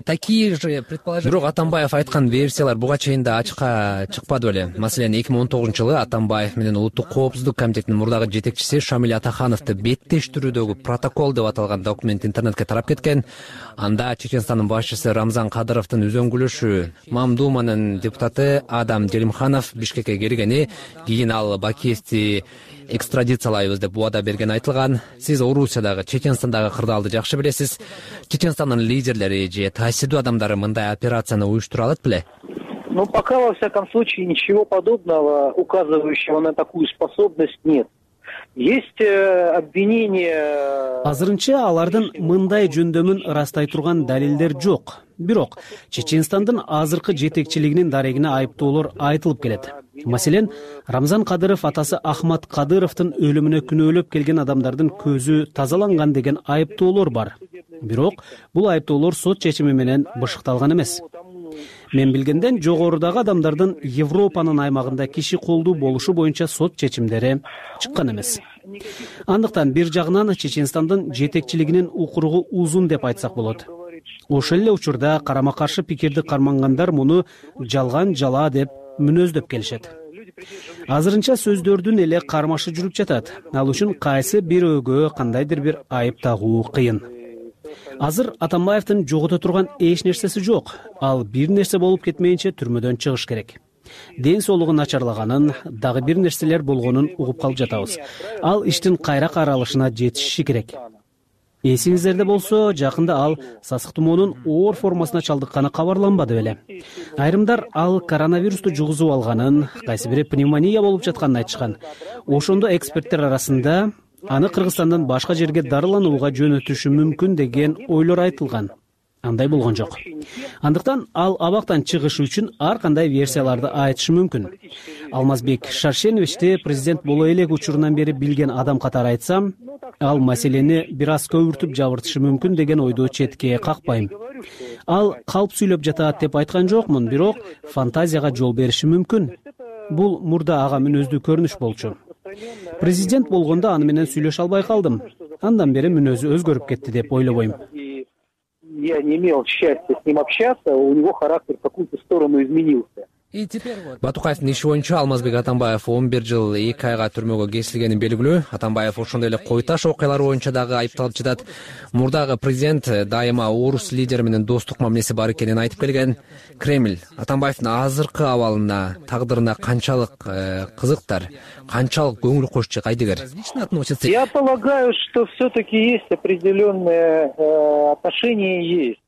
[SPEAKER 5] Такие же предположения. Бирок Атамбаев айткан версиялар буга чейин да ачыкка чыкпады беле. Маселен, 2019-жылы Атамбаев менен Улуттук коопсуздук комитетинин мурдагы жетекчиси Шамиль Атахановду беттештирүүдөгү протокол деп аталган документ интернетке тарап кеткен. Анда Чеченстандын башчысы Рамзан Кадыровдун үзөңгүлөшү Мамдуманын депутаты Адам Делимханов Бишкекке келгени, кийин ал Бакиевди экстрадициялайбыз деп убада берген айтылган. Сиз Орусиядагы, Чеченстандагы кырдаалды жакшы билесиз. Чеченстандын лидерлери же таасирдүү адамдары мындай операцияны уюштура алат беле?
[SPEAKER 13] Пока, во всяком случае, ничего подобного, указывающего на такую способность, нет. Есть обвинения...
[SPEAKER 6] Азырынча алардын мындай жөндөмүн ырастай турган далилдер жок. Бирок Чеченстандын азыркы жетекчилигинин дарегине айыптоолор айтылып келет. Маселен, Рамзан Кадыров атасы Ахмат Кадыровдун өлүмүнө күнөөлөп келген адамдардын көзү тазаланган деген айыптоолор бар. Бирок бул айыптоолор сот чечими менен бышыкталган эмес. Мен билгенден жогорудагы адамдардын Европанын аймагында киши колдуу болушу боюнча сот чечимдери чыккан эмес. Андыктан бир жагынан Чеченстандын жетекчилигинин укуругу узун деп айтсак болот. Ошол эле учурда карама каршы пикирди кармангандар муну жалган жала деп мүнөздөп келишет. Азырынча сөздөрдүн эле кармашы жүрүп жатат. Ал үчүн кайсы бирөөгө кандайдыр бир айып тагуу кыйын. Азыр Атамбаевдин жогото турган эч нерсеси жок. Ал бир нерсе болуп кетмейинче түрмөдөн чыгыш керек. Ден соолугу начарлаганын, дагы бир нерселер болгонун угуп калып жатабыз. Ал иштин кайра каралышына жетиши керек. Эсиңиздерде болсо, жакында ал сасык тумоонун оор формасына чалдыкканы кабарланбады беле. Айрымдар ал коронавирусту жугузуп алганын, кайсы бири пневмония болуп жатканын айтышкан. Ошондо эксперттер арасында аны Кыргызстандан башка жерге дарыланууга жөнөтүшү мүмкүн деген ойлор айтылган. Андай болгон жок. Андыктан ал абактан чыгышы үчүн ар кандай версияларды айтышы мүмкүн. Алмазбек Шаршеновичти президент боло элек учурунан бери билген адам катары айтсам, ал маселени бир аз көбүртүп жабыртышы мүмкүн деген ойду четке какпайм. Ал калп сүйлөп жатат деп айткан жокмун, бирок фантазияга жол бериши мүмкүн. Бул мурда ага мүнөздүү көрүнүш болчу. Президент болгондо аны менен сүйлөшө албай калдым. Андан бери мүнөзү өзгөрүп кетти деп ойлобойм.
[SPEAKER 13] Я не имел счастья с ним общаться, у него характер в какую-то сторону изменился.
[SPEAKER 5] Батукаевдин иши боюнча Алмазбек Атамбаев 11 жыл 2 айга түрмөгө кесилгени белгилүү. Атамбаев ошондой эле кой таш окуялары боюнча дагы айыпталып жатат. Мурдагы президент дайыма орус лидери менен достук мамилеси бар экенин айтып келген. Кремль Атамбаевдин азыркы абалына, тагдырына канчалык кызыктар, канчалык көңүл кошчу кайдыгер?
[SPEAKER 13] Я полагаю, что все-таки есть определенные отношения есть.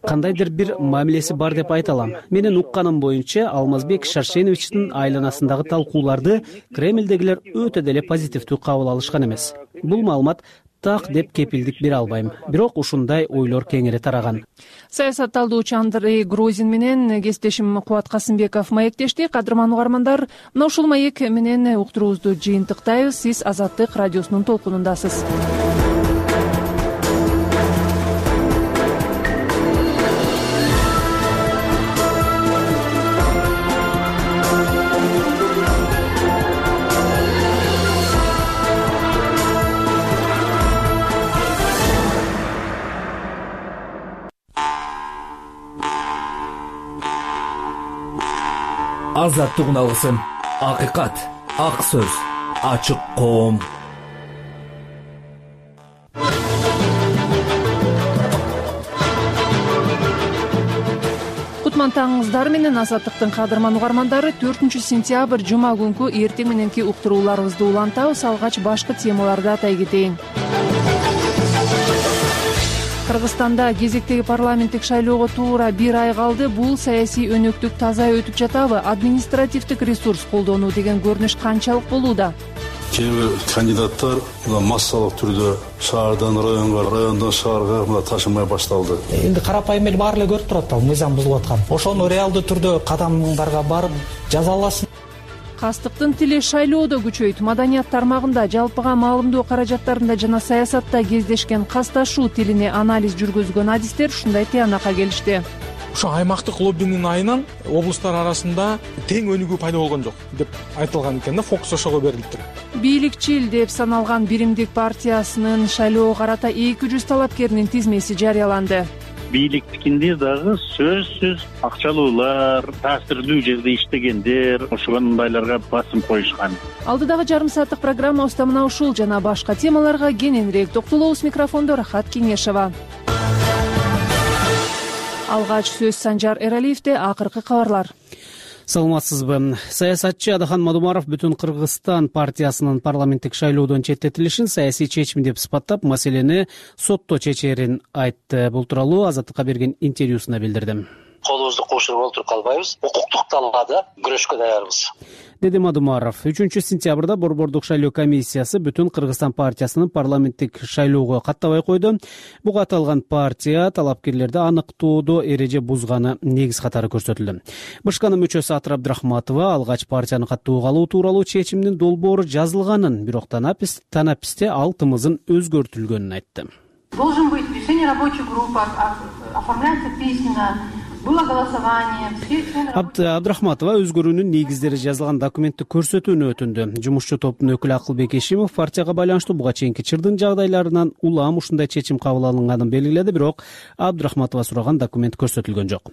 [SPEAKER 6] кандайдыр бир мамилеси бар деп айта алам. Менин укканым боюнча Алмазбек Шаршеновичтин айланасындагы талкууларды Кремлдегилер өтө деле позитивдүү кабыл алышкан эмес. Бул маалымат так деп кепилдик бере албайм. Бирок ушундай ойлор кеңири тараган.
[SPEAKER 2] Саясатталдоочу Андрей Грозин менен кесиптешим Кубат Касымбеков маектешти. Кадырман угармандар, мына ушул маек менен уктуруубузду жыйынтыктайбыз. Сиз Азаттык радиосунун толкунундасыз.
[SPEAKER 1] Азаттык алгысын, акыйкат, ак сөз, ачык коом.
[SPEAKER 2] Кутман таңыңыздар менен Азаттыктын кадырман угармандары, 4 сентябрь жума күнкү эртең мененки уктурууларыбызды улантабыз. Алгач башкы темаларды атай кетейин. Кыргызстанда кезектеги парламенттик шайлоого туура 1 ай калды. Бул саясий өнөктүк таза өтүп жатабы? Административдик ресурс колдонуу деген көрүнүш канчалык болууда?
[SPEAKER 14] Кээ бир кандидаттар массалык түрдө шаардан районго, райондон шаарга ташымай башталды.
[SPEAKER 15] Эми карапайым эл баары эле көрүп турат, мыйзам бузулуп аткан. Ошону реалдуу түрдө кадамдарга барып жазаласын.
[SPEAKER 2] Кастыктын тили шайлоодо күчөйт. Маданият тармагында жалпыга маалымдоо каражаттарында жана саясатта кездешкен касташуу тилине анализ жүргүзгөн адистер ушундай тыянакка келишти.
[SPEAKER 16] Ошо аймактык лоббинин айынан облустар арасында тең өнүгүү пайда болгон жок деп айтылган экен да, фокус ошого берилиптир.
[SPEAKER 2] Бийликчил деп саналган Биримдик партиясынын шайлоого карата 200 талапкеринин тизмеси жарыяланды.
[SPEAKER 17] Бийликтикинде дагы сөзсүз акчалуулар, таасирдүү жерде иштегендер, ошондайларга басым коюшкан.
[SPEAKER 2] Алдыдагы жарым сааттык программабызда мына ушул жана башка темаларга кененирээк токтолобуз. Микрофондо Рахат Кеңешова. Алгач сөз Санжар Эралиевде. Акыркы кабарлар.
[SPEAKER 6] Саламатсызбы? Саясатчы Адахан Мадумаров Бүтүн Кыргызстан партиясынын парламенттик шайлоодон четтетилишин саясий чечим деп сыпаттап, маселени сотто чечерин айтты. Бул тууралуу Азаттыкка берген интервьюсунда билдирди.
[SPEAKER 3] Колубузду кошуруп отуруп калбайбыз. Укуктук талаада күрөшкө даярбыз,
[SPEAKER 6] деди Мадумаров. 3 сентябрда Борбордук шайлоо комиссиясы Бүтүн Кыргызстан партиясынын парламенттик шайлоого каттабай койду. Буга аталган партия талапкерлерди аныктоодо эреже бузганы негиз катары көрсөтүлдү. БШКнын мүчөсү Атыр Абдрахматова алгач партияны каттоого алуу тууралуу чечимдин долбоору жазылганын, бирок танаписте ал тымызын өзгөртүлгөнүн айтты.
[SPEAKER 7] Должен быть решение рабочих групп, оформляется письменно. Было голосование.
[SPEAKER 6] Абдрахматова өзгөрүүнүн негиздери жазылган документти көрсөтүүнү өтүндү. Жумушчу топтун өкүлү Акылбек Эшимов партияга байланыштуу буга чейинки чырдын жагдайларынан улам ушундай чечим кабыл алынганын белгиледи, бирок Абдрахматова сураган документ көрсөтүлгөн жок.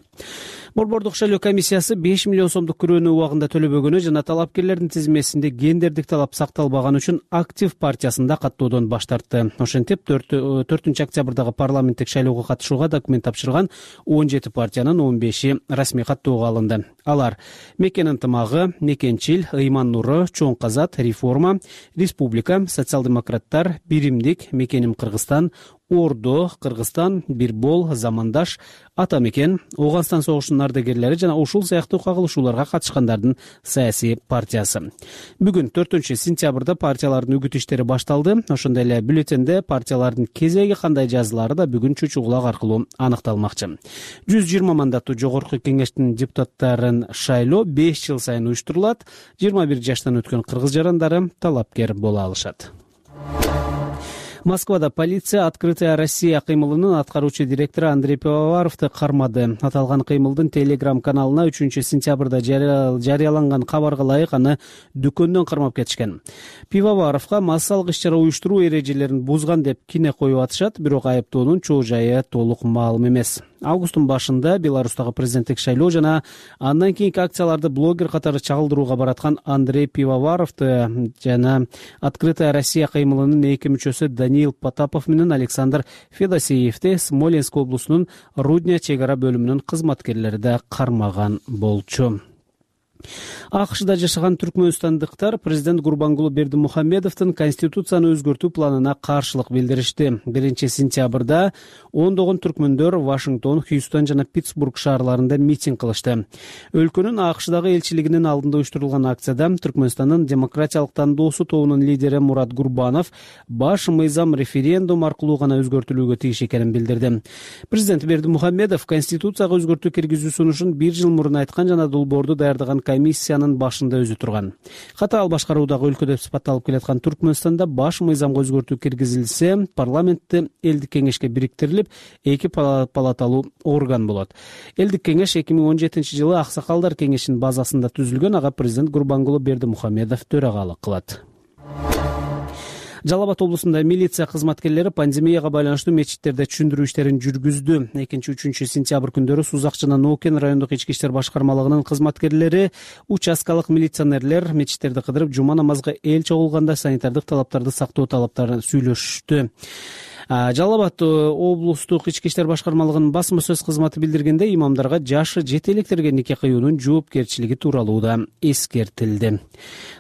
[SPEAKER 6] Борбордук шайлоо комиссиясы 5 миллион сомдук күрөөнү убагында төлөбөгөнү жана талапкерлердин тизмесинде гендердик талап сакталбаганы үчүн актив партиясында каттоодон баш тартты. Ошентип 4 октябрдагы парламенттик шайлоого катышууга документ тапшырган 17 партиянын 15-и расмий каттоого алынды. Алар Мекен ынтымагы, Мекенчил, Ыйман Нуру, Чоң Казат, Реформа, Республика, Социал-демократтар, Биримдик, Мекеним Кыргызстан, Ордо, Кыргызстан, Бирбол, Замандаш, Ата Мекен, Ооган согушунун ардагерлери жана ушул сыяктуу кагылышууларга катышкандардын саясий партиясы. Бүгүн 4 сентябрда партиялардын үгүт иштери башталды. Ошондой эле бюллетенде партиялардын кезеги кандай жазылары да бүгүн чүчү кулак аркылуу аныкталмакчы. 120 мандаттуу жогорку кеңештин депутаттарын шайлоо 5 жыл сайын уюштурулат. 21 жаштан өткөн кыргыз жарандары талапкер боло алышат. Москвада полиция «Открытая Россия» кыймылынын аткаруучу директору Андрей Пивоваровду кармады. Аталган кыймылдын телеграм-каналына 3 сентябрда жарыяланган кабарга ылайык аны дүкөндөн кармап кетишкен. Пивоваровго массалык иш-чара уюштуруу эрежелерин бузган деп кине коюп атышат, бирок айыптоонун чоо жайы толук маалым эмес. Августтун башында Беларустагы президенттик шайлоо жана андан кийинки акцияларды блогер катары чагылдырууга бараткан Андрей Пивоваровду жана «Открытая Россия» кыймылынын 2 мүчөсү Даниил Потапов менен Александр Федосеевди Смоленск облусунун Рудня чек ара бөлүмүнүн кызматкерлери да кармаган болчу. АКШда жашаган түркмөнстандыктар президент Гурбангулы Бердимухамедовдун конституцияны өзгөртүү планына каршылык билдиришти. 1-сентябрда ондогон түркмөндөр Вашингтон, Хьюстон жана Питтсбург шаарларында митинг кылышты. Өлкөнүн АКШдагы элчилигинин алдында уюштурулган акцияда Түркмөнстандын демократиялык тандоосу тобунун лидери Мурат Гурбанов баш мыйзам референдум аркылуу гана өзгөртүлүүгө тийиш экенин билдирди. Президент Бердимухамедов конституцияга өзгөртүү киргизүү сунушун 1 жыл мурун айткан жана долбоорду даярдаган комиссиянын башында өзү турган. Катаал башкаруудагы өлкө деп сыпатталып келаткан Түркмөнстанда баш мыйзамга өзгөртүү киргизилсе, парламентте элдик кеңешке бириктирилип, 2 палаталуу орган болот. Элдик кеңеш 2017-жылы Аксакалдар кеңешинин базасында түзүлгөн, ага президент Гурбангулы Бердимухамедов төрагалык кылат. Жалал Абад облусунда милиция кызматкерлери пандемияга байланыштуу мечиттерде түшүндүрүү иштерин жүргүздү. 2-3 сентябрь күндөрү Сузак жана Нокен райондук ички иштер башкармалыгынын кызматкерлери, участкалык милиционерлер мечиттерди кыдырып, жума намазга эл чогулганда санитардык талаптарды сактоо талаптарын сүйлөшүштү. Жалал Абад облустук ички иштер башкармалыгынын басма сөз кызматы билдиргенде, имамдарга жашы жете электерге нике кыюунун жоопкерчилиги тууралуу да эскертилди.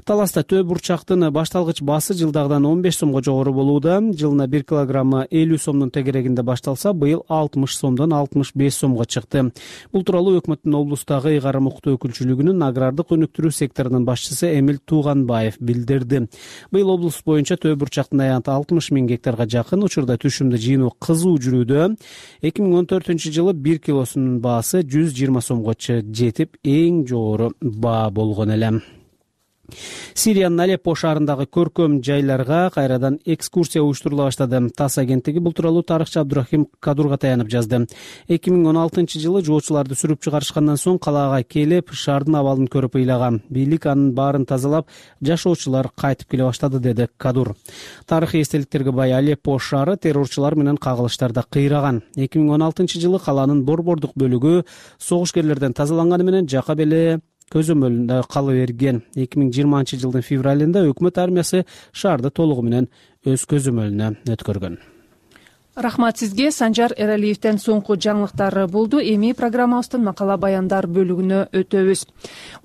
[SPEAKER 6] Таласта төө бурчактын башталгыч баасы жылдагыдан 15 сомго жогору болууда. Жылына 1 килограммы 50 сомдун тегерегинде башталса, быйыл 60 сомдон 65 сомго чыкты. Бул тууралуу өкмөттүн облустагы ыйгарым укуктуу өкүлчүлүгүнүн агрардык өнүктүрүү секторунун башчысы Эмил Тууганбаев билдирди. Быйыл облус боюнча төө бурчактын аянты 60 000 гектарга жакын, учурда түшүмдү жыйноо кызуу жүрүүдө. 2014-жылы 1 килосунун баасы 120 сомго жетип, эң жогору баа болгон эле. Сириянын Алеппо шаарындагы көркөм жайларга кайрадан экскурсия уюштурула баштады. ТАСС агенттиги бул тууралуу тарыхчы Абдурахим Кадурга таянып жазды. 2016-жылы жоочуларды сүрүп чыгарышкандан соң калаага келип, шаардын абалын көрүп ыйлаган. Бийлик анын баарын тазалап, жашоочулар кайтып келе баштады, деди Кадур. Тарыхый эстеликтерге бай Алеппо шаары террорчулар менен кагылыштарда кыйраган. 2016-жылы каланын борбордук бөлүгү согушкерлерден тазаланганы менен жакап эле көзөмөлүндө кала берген. 2020-жылдын февралында өкмөт армиясы шаарды толугу менен өз көзөмөлүнө өткөргөн.
[SPEAKER 2] Рахмат сизге. Санжар Эралиевден соңку жаңылыктар болду. Эми программабыздын макала баяндар бөлүгүнө өтөбүз.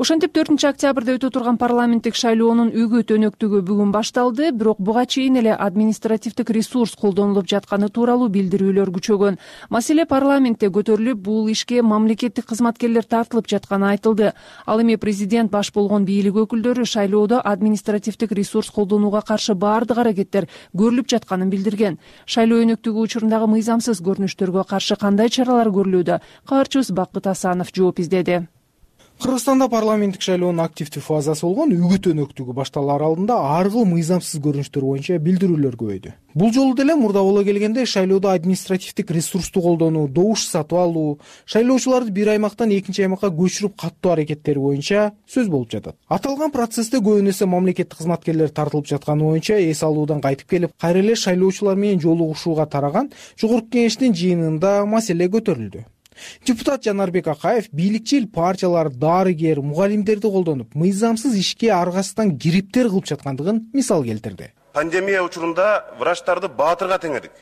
[SPEAKER 2] Ошентип 4-октябрда өтө турган парламенттик шайлоонун үгүт өнөктүгү бүгүн башталды, бирок буга чейин эле административдик ресурс колдонулуп жатканы тууралуу билдирүүлөр күчөгөн. Маселе парламентте көтөрүлүп, бул ишке мамлекеттик кызматкерлер тартылып жатканы айтылды. Ал эми президент баш болгон бийлик өкүлдөрү шайлоодо административдик ресурс колдонууга каршы баардык аракеттер көрүлүп жатканын билдирген. Шайлоо өнөктүгү учурундагы мыйзамсыз көрүнүштөргө каршы кандай чаралар көрүлүүдө? Кабарчыбыз Бакыт Асанов жооп издеди.
[SPEAKER 16] Кыргызстанда парламенттик шайлоонун активдүү фазасы болгон үгүт өнөктүгү башталаар алдында ар кыл мыйзамсыз көрүнүштөр боюнча билдирүүлөр көбөйдү. Бул жолу деле мурда боло келгенде шайлоодо административдик ресурсту колдонуу, добуш сатып алуу, шайлоочуларды бир аймактан экинчи аймакка көчүрүп каттоо аракеттери боюнча сөз болуп жатат. Аталган процессте көбүн эсе мамлекеттик кызматкерлер тартылып жатканы боюнча эс алуудан кайтып келип, кайра эле шайлоочулар менен жолугушууга тараган жогорку кеңештин жыйынында маселе көтөрүлдү. Депутат Жанарбек Акаев бийликчил партиялар дарыгер, мугалимдерди колдонуп, мыйзамсыз ишке аргасыздан кириптер кылып жаткандыгын мисал келтирди.
[SPEAKER 18] Пандемия учурунда врачтарды баатырга теңедик.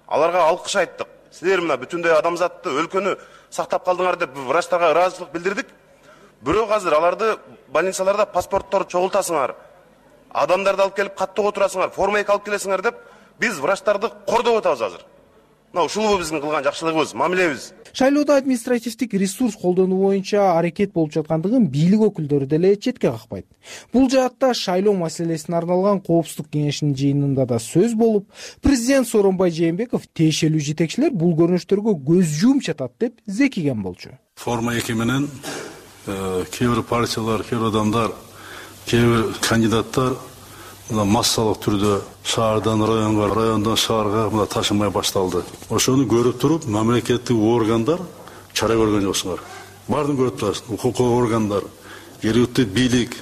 [SPEAKER 18] Аларга алкыш айттык. Силер мына бүтүндөй адамзатты, өлкөнү сактап калдыңар деп врачтарга ыраазычылык билдирдик. Бирок азыр аларды больницаларда паспорттор чогултасыңар, адамдарды алып келип каттоого турасыңар, форма 2 алып келесиңер деп биз врачтарды кордоп атабыз азыр. Ушул биздин кылган жакшылыгыбыз, мамилебиз.
[SPEAKER 16] Шайлоодо административдик ресурс колдонуу боюнча аракет болуп жаткандыгын бийлик өкүлдөрү деле четке какпайт. Бул жаатта шайлоо маселесине арналган коопсуздук кеңешинин жыйынында да сөз болуп, президент Сооронбай Жээнбеков тиешелүү жетекчилер бул көрүнүштөргө көз жумуп жатат деп зекиген болчу.
[SPEAKER 14] Форма 2 менен кээ бир партиялар, кээ бир адамдар, кээ бир кандидаттар массалык түрдө шаардан районго, райондон шаарга мына ташымай башталды. Ошону көрүп туруп, мамлекеттик органдар чара көргөн жоксуңар. Баардыгын көрүп турасың, укуктук органдар, жергиликтүү бийлик,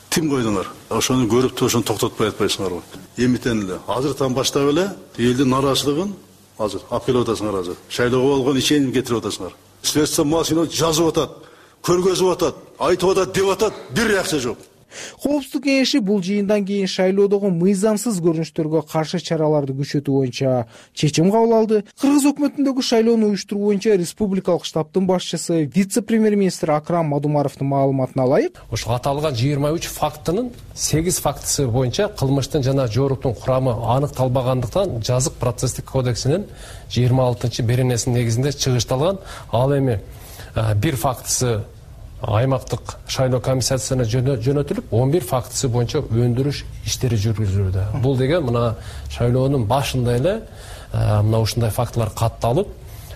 [SPEAKER 14] тим койдуңар. Ошону көрүп туруп, ошону токтотпой атпайсыңарбы? Эмитен эле азыртан баштап эле элдин нараачылыгын азыр алып келип атасыңар азыр. Шайлоого болгон ишенимди кетирип атасыңар. Следствие машина жазып атат, көргөзүп атат, айтып атат, деп атат, бир реакция жок.
[SPEAKER 16] Коопсуздук кеңеши бул жыйындан кийин шайлоодогу мыйзамсыз көрүнүштөргө каршы чараларды күчөтүү боюнча чечим кабыл алды. Кыргыз өкмөтүндөгү шайлоону уюштуруу боюнча республикалык штабтын башчысы вице-премьер-министр Акрам Мадумаровдун маалыматына ылайык,
[SPEAKER 19] ошо аталган 23 фактынын 8 фактысы боюнча кылмыштын жана жооруктун курамы аныкталбагандыктан жазык процесстик кодексинин 26 беренесинин негизинде чыгышталган. Ал эми бир фактысы аймактык шайлоо комиссиясына жөнөтүлүп, 11 фактысы боюнча өндүрүш иштери жүргүзүлүүдө. Бул деген мына шайлоонун башында эле мына ушундай фактылар катталып,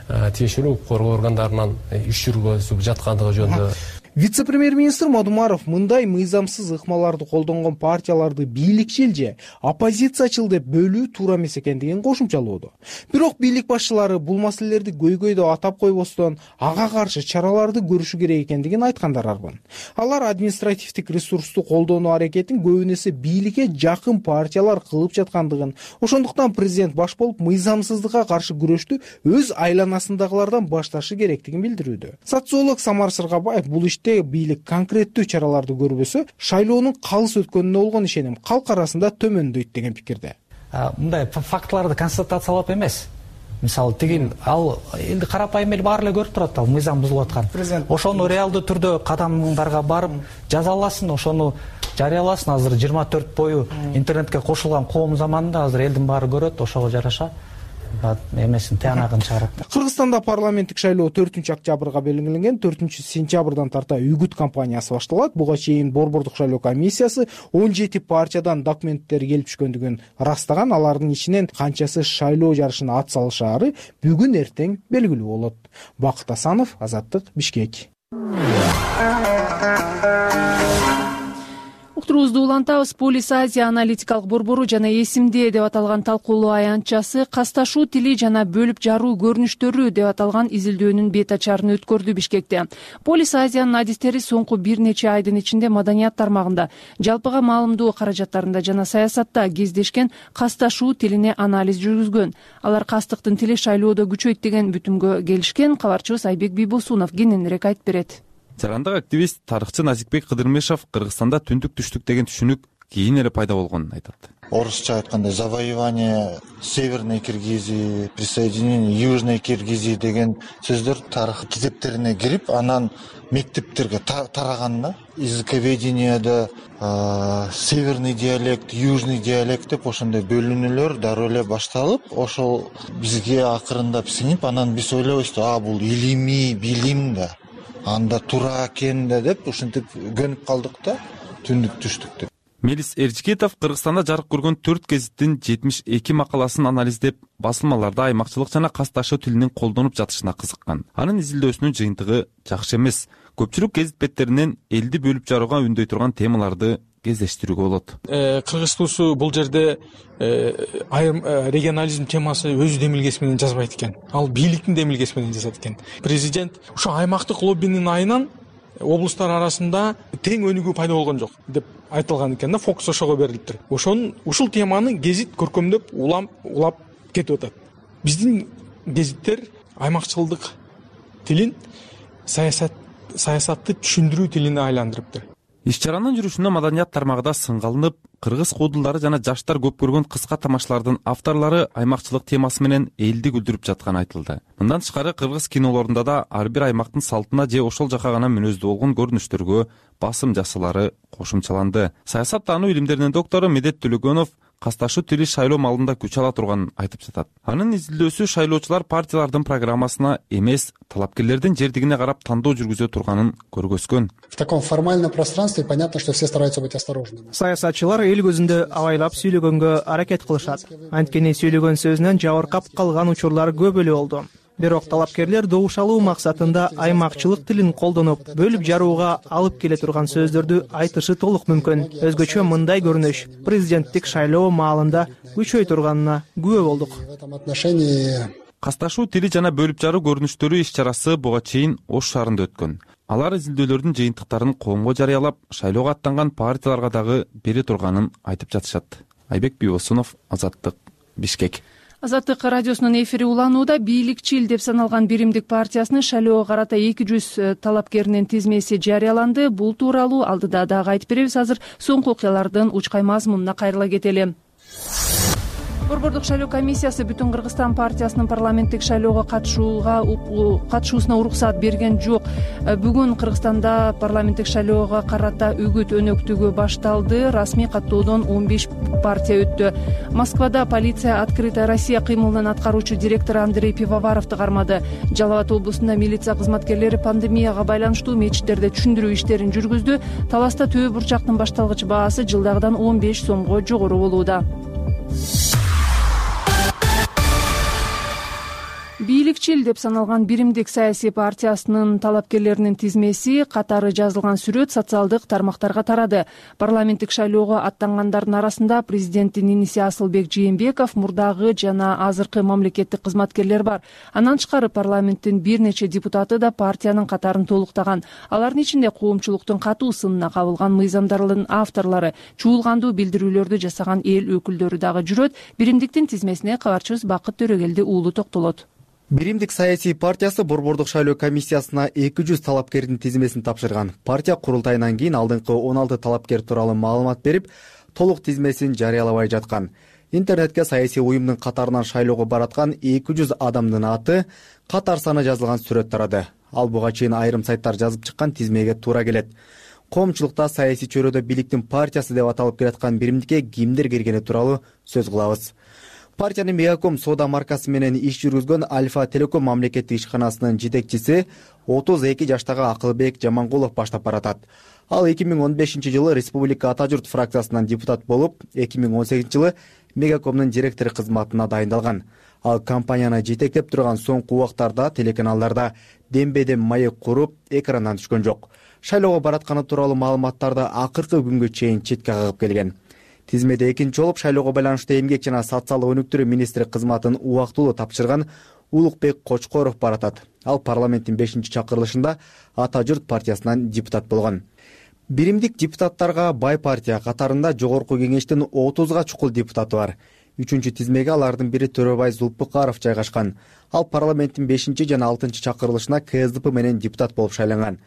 [SPEAKER 19] тиешелүү укук коргоо органдарынан иш жүргүзүп жаткандыгы жөнүндө.
[SPEAKER 16] Вице-премьер-министр Мадумаров мындай мыйзамсыз ыкмаларды колдонгон партияларды бийликчил же оппозициячыл деп бөлүү туура эмес экендигин кошумчалоодо. Бирок бийлик башчылары бул маселелерди көйгөйдө атап койбостон ага каршы чараларды көрүшү керек экендигин айткандар арбын. Алар административдик ресурсту колдонуу аракетин көбүнесе бийликке жакын партиялар кылып жаткандыгын, ошондуктан президент баш болуп мыйзамсыздыкка каршы күрөштү өз айланасындагылардан башташы керектигин билдирүүдө. Социолог Самар Сыргабаев бул бийлик конкреттүү чараларды көрбөсө, шайлоонун калыс өткөнүнө болгон ишеним калк арасында төмөндөйт деген пикирде.
[SPEAKER 15] Мындай фактыларды констатациялап эмес. Мисалы тигил ал элди карапайым эл баары эле көрүп турат, ал мыйзам бузулуп аткан. Ошону реалдуу түрдө кадамдарга барып жазаласын, ошону жарыяласын. Азыр 24 бою интернетке кошулган коом заманында азыр элдин баары көрөт, ошого жараша эмесин тыянагын чыгарат.
[SPEAKER 16] Кыргызстанда парламенттик шайлоо 4-октябрга белгиленген. 4-сентябрдан тарта үгүт кампаниясы башталат. Буга чейин Борбордук шайлоо комиссиясы 17 партиядан документтер келип түшкөндүгүн ырастаган. Алардын ичинен канчасы шайлоо жарышына ат салышаары бүгүн эртең белгилүү болот. Бакыт Асанов, Азаттык, Бишкек.
[SPEAKER 2] Уктуруубузду улантабыз. Полис Азия аналитикалык борбору жана эсимде деп аталган талкуулоо аянтчасы касташуу тили жана бөлүп жаруу көрүнүштөрү деп аталган изилдөөнүн бет ачарын өткөрдү Бишкекте. Полис Азиянын адистери соңку бир нече айдын ичинде маданият тармагында, жалпыга маалымдоо каражаттарында жана саясатта кездешкен касташуу тилине анализ жүргүзгөн. Алар кастыктын тили шайлоодо күчөйт деген бүтүмгө келишкен. Кабарчыбыз Айбек Бийбосунов кененирээк айтып берет.
[SPEAKER 20] Жарандык активист, тарыхчы Назикбек Кыдырмешов Кыргызстанда түндүк-түштүк деген түшүнүк кийин эле пайда болгонун айтат.
[SPEAKER 21] Орусча айтканда завоевание Северной Киргизии, присоединение Южной Киргизии деген сөздөр тарых китептерине кирип, анан мектептерге тараган да. Языковеденияда северный диалект, южный диалект деп ошондой бөлүнүүлөр дароо эле башталып, ошол бизге акырындап сиңип, анан биз ойлойбуз, бул илимий билим да. Анда туура экен да деп ушинтип көнүп калдык да, түндүк-түштүк деп.
[SPEAKER 20] Мелис Эржикетов Кыргызстанда жарык көргөн 4 гезиттин 72 макаласын анализдеп, басылмаларда аймакчылык жана касташуу тилинин колдонуп жатышына кызыккан. Анын изилдөөсүнүн жыйынтыгы жакшы эмес. Көпчүлүк гезит беттеринен элди бөлүп жарууга үндөй турган темаларды кездештирүүгө болот.
[SPEAKER 22] Кыргыз туусу бул жерде айрым регионализм темасы өз демилгеси менен жазбайт экен. Ал бийликтин демилгеси менен жазат экен. Президент ошо аймактык лоббинин айынан облустар арасында тең өнүгүү пайда болгон жок деп айтылган экен да, фокус ошого берилиптир. Ушул теманы гезит көркөмдөп улап кетип атат. Биздин гезиттер аймакчылдык тилин саясатты түшүндүрүү тилине айландырыптыр.
[SPEAKER 20] Иш-чаранын жүрүшүнө маданият тармагында сынгалынып, кыргыз куудулдары жана жаштар көп көргөн кыска тамашалардын авторлору аймакчылык темасы менен элди күлдүрүп жатканы айтылды. Мындан тышкары кыргыз кинолорунда да ар бир аймактын салтына же ошол жака гана мүнөздүү болгон көрүнүштөргө басым жасалары кошумчаланды. Саясат таануу илимдеринин доктору Медет Төлөгөнов касташуу тили шайлоо малында күч ала турганын айтып жатат. Анын изилдөөсү шайлоочулар партиялардын программасына эмес, талапкерлердин жердигине карап тандоо жүргүзө турганын көргөзгөн.
[SPEAKER 23] В таком формальном пространстве понятно, что все стараются быть осторожными.
[SPEAKER 24] Саясатчылар эл көзүндө абайлап сүйлөгөнгө аракет кылышат. Анткени сүйлөгөн сөзүнөн жабыркап калган учурлар көп эле болду. Бирок талапкерлер добушалуу максатында аймакчылык тилин колдонуп, бөлүп жарууга алып келе турган сөздөрдү айтышы толук мүмкүн. Өзгөчө мындай көрүнүш президенттик шайлоо маалында күчөй турганына күбө болдук.
[SPEAKER 20] Касташуу тили жана бөлүп жаруу көрүнүштөрү иш-чарасы буга чейин Ош шаарында өткөн. Алар изилдөөлөрдүн жыйынтыктарын коомго жарыялап, шайлоого аттанган партияларга дагы бере турганын айтып жатышат. Айбек Бийбосунов, Азаттык, Бишкек.
[SPEAKER 2] Азаттык радиосунун эфири уланууда. Бийликчил деп саналган Биримдик партиясынын шайлоого карата 200 талапкеринин тизмеси жарыяланды. Бул тууралуу алдыда дагы айтып беребиз. Азыр соңку окуялардын учкай мазмунуна кайрыла кетели. Борбордук шайлоо комиссиясы Бүтүн Кыргызстан партиясынын парламенттик шайлоого катышуусуна уруксат берген жок. Бүгүн Кыргызстанда парламенттик шайлоого карата үгүт өнөктүгү башталды. Расмий каттоодон 15 партия өттү. Москвада полиция Открытая Россия кыймылынын аткаруучу директору Андрей Пивоваровду кармады. Жалал Абад облусунда милиция кызматкерлери пандемияга байланыштуу мечиттерде түшүндүрүү иштерин жүргүздү. Таласта төө бурчактын башталгыч баасы жылдагыдан 15 сомго жогору болууда. Бийликчил деп саналган Биримдик саясий партиясынын талапкерлеринин тизмеси катары жазылган сүрөт социалдык тармактарга тарады. Парламенттик шайлоого аттангандардын арасында президенттин иниси Асылбек Жээнбеков, мурдагы жана азыркы мамлекеттик кызматкерлер бар. Андан тышкары парламенттин бир нече депутаты да партиянын катарын толуктаган. Алардын ичинде коомчулуктун катуу сынына кабылган мыйзамдардын авторлору, чуулгандуу билдирүүлөрдү жасаган эл өкүлдөрү дагы жүрөт. Биримдиктин тизмесине кабарчыбыз Бакыт Төрөгелди уулу токтолот.
[SPEAKER 4] Биримдик саясий партиясы Борбордук шайлоо комиссиясына 200 талапкердин тизмесин тапшырган. Партия курултайынан кийин алдыңкы 16 талапкер тууралуу маалымат берип, толук тизмесин жарыялабай жаткан. Интернетке саясий уюмдун катарынан шайлоого бараткан 200 адамдын аты, катар саны жазылган сүрөт тарады. Ал буга чейин айрым сайттар жазып чыккан тизмеге туура келет. Коомчулукта саясий чөйрөдө бийликтин партиясы деп аталып келаткан Биримдикке кимдер киргени тууралуу сөз кылабыз. Партиянын Мегаком соода маркасы менен иш жүргүзгөн Альфа Телеком мамлекеттик ишканасынын жетекчиси 32 жаштагы Акылбек Жамангулов баштап баратат. Ал 2015-жылы Республика Ата журт фракциясынан депутат болуп, 2018-жылы Мегакомдун директору кызматына дайындалган. Ал компанияны жетектеп турган соңку убактарда телеканалдарда дембедем маек куруп, экрандан түшкөн жок. Шайлоого баратканы тууралуу маалыматтарды акыркы күнгө чейин четке кагып келген. Тизмеде экинчи болуп шайлоого байланыштуу эмгек жана социалдык өнүктүрүү министри кызматын убактылуу тапшырган Улукбек Кочкоров баратат. Ал парламенттин 5-чакырылышында Ата журт партиясынан депутат болгон. Биримдик депутаттарга бай партия катарында жогорку кеңештин 30га чукул депутаты бар. 3-чү тизмеге алардын бири Төрөбай Зулпукаров жайгашкан. Ал парламенттин 5 жана 6-чакырылышына КСДП менен депутат болуп шайланган.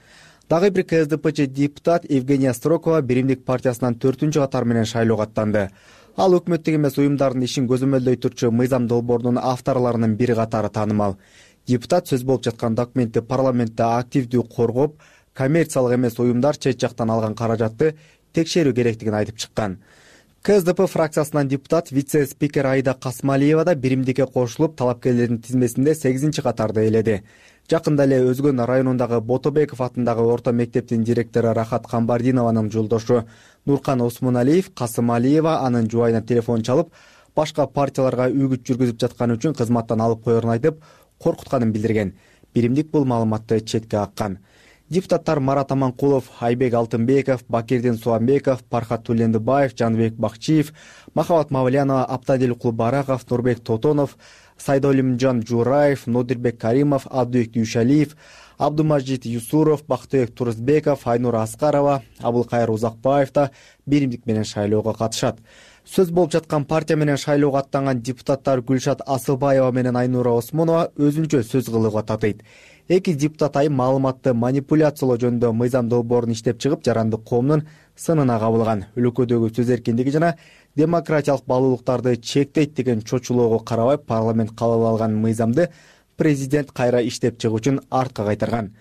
[SPEAKER 4] Дагы бир КСДПчы депутат Евгения Строкова Биримдик партиясынан 4-чү катар менен шайлоого аттанды. Ал өкмөттүк эмес уюмдардын ишин көзөмөлдөй турчу мыйзам долбоорунун авторлорунун бири катары таанымал. Депутат сөз болуп жаткан документти парламентте активдүү коргоп, коммерциялык эмес уюмдар чет жактан алган каражатты текшерүү керектигин айтып чыккан. КСДП фракциясынан депутат вице-спикер Айда Касмалиева да Биримдикке кошулуп, талапкерлердин тизмесинде 8-чи катарда ээледи. Жакында эле Өзгөн районундагы Ботобеков атындагы орто мектептин директору Рахат Камбардинованын жолдошу Нуркан Осмоналиев Касымалиева анын жубайына телефон чалып, башка партияларга үгүт жүргүзүп жатканы үчүн кызматтан алып коерун айтып, коркутканын билдирген. Биримдик бул маалыматты четке каккан. Депутаттар Марат Аманкулов, Айбек Алтынбеков, Бакирдин Суамбеков, Пархат Тулендыбаев, Жанбек Бакчиев, Махабат Мавлянова, Аптадил Кулбараков, Нурбек Тотонов, Сайдолимжан Жураев, Нодирбек Каримов, Абдыбек Дүйшалиев, Абдумажид Юсуров, Бактыбек Турузбеков, Айнур Аскарова, Абылкайыр Узакбаев да Биримдик менен шайлоого катышат. Сөз болуп жаткан партия менен шайлоого аттанган депутаттар Гүлшат Асылбаева менен Айнура Осмонова өзүнчө сөз кылууга татыйт. Эки депутат маалыматты манипуляциялоо жөнүндө мыйзам долбоорун иштеп чыгып, жарандык коомдун сынына кабылган. Өлкөдөгү сөз эркиндиги жана демократиялык баалуулуктарды чектейт деген чочулоого карабай парламент кабыл алган мыйзамды президент кайра иштеп чыгуу үчүн артка кайтарган.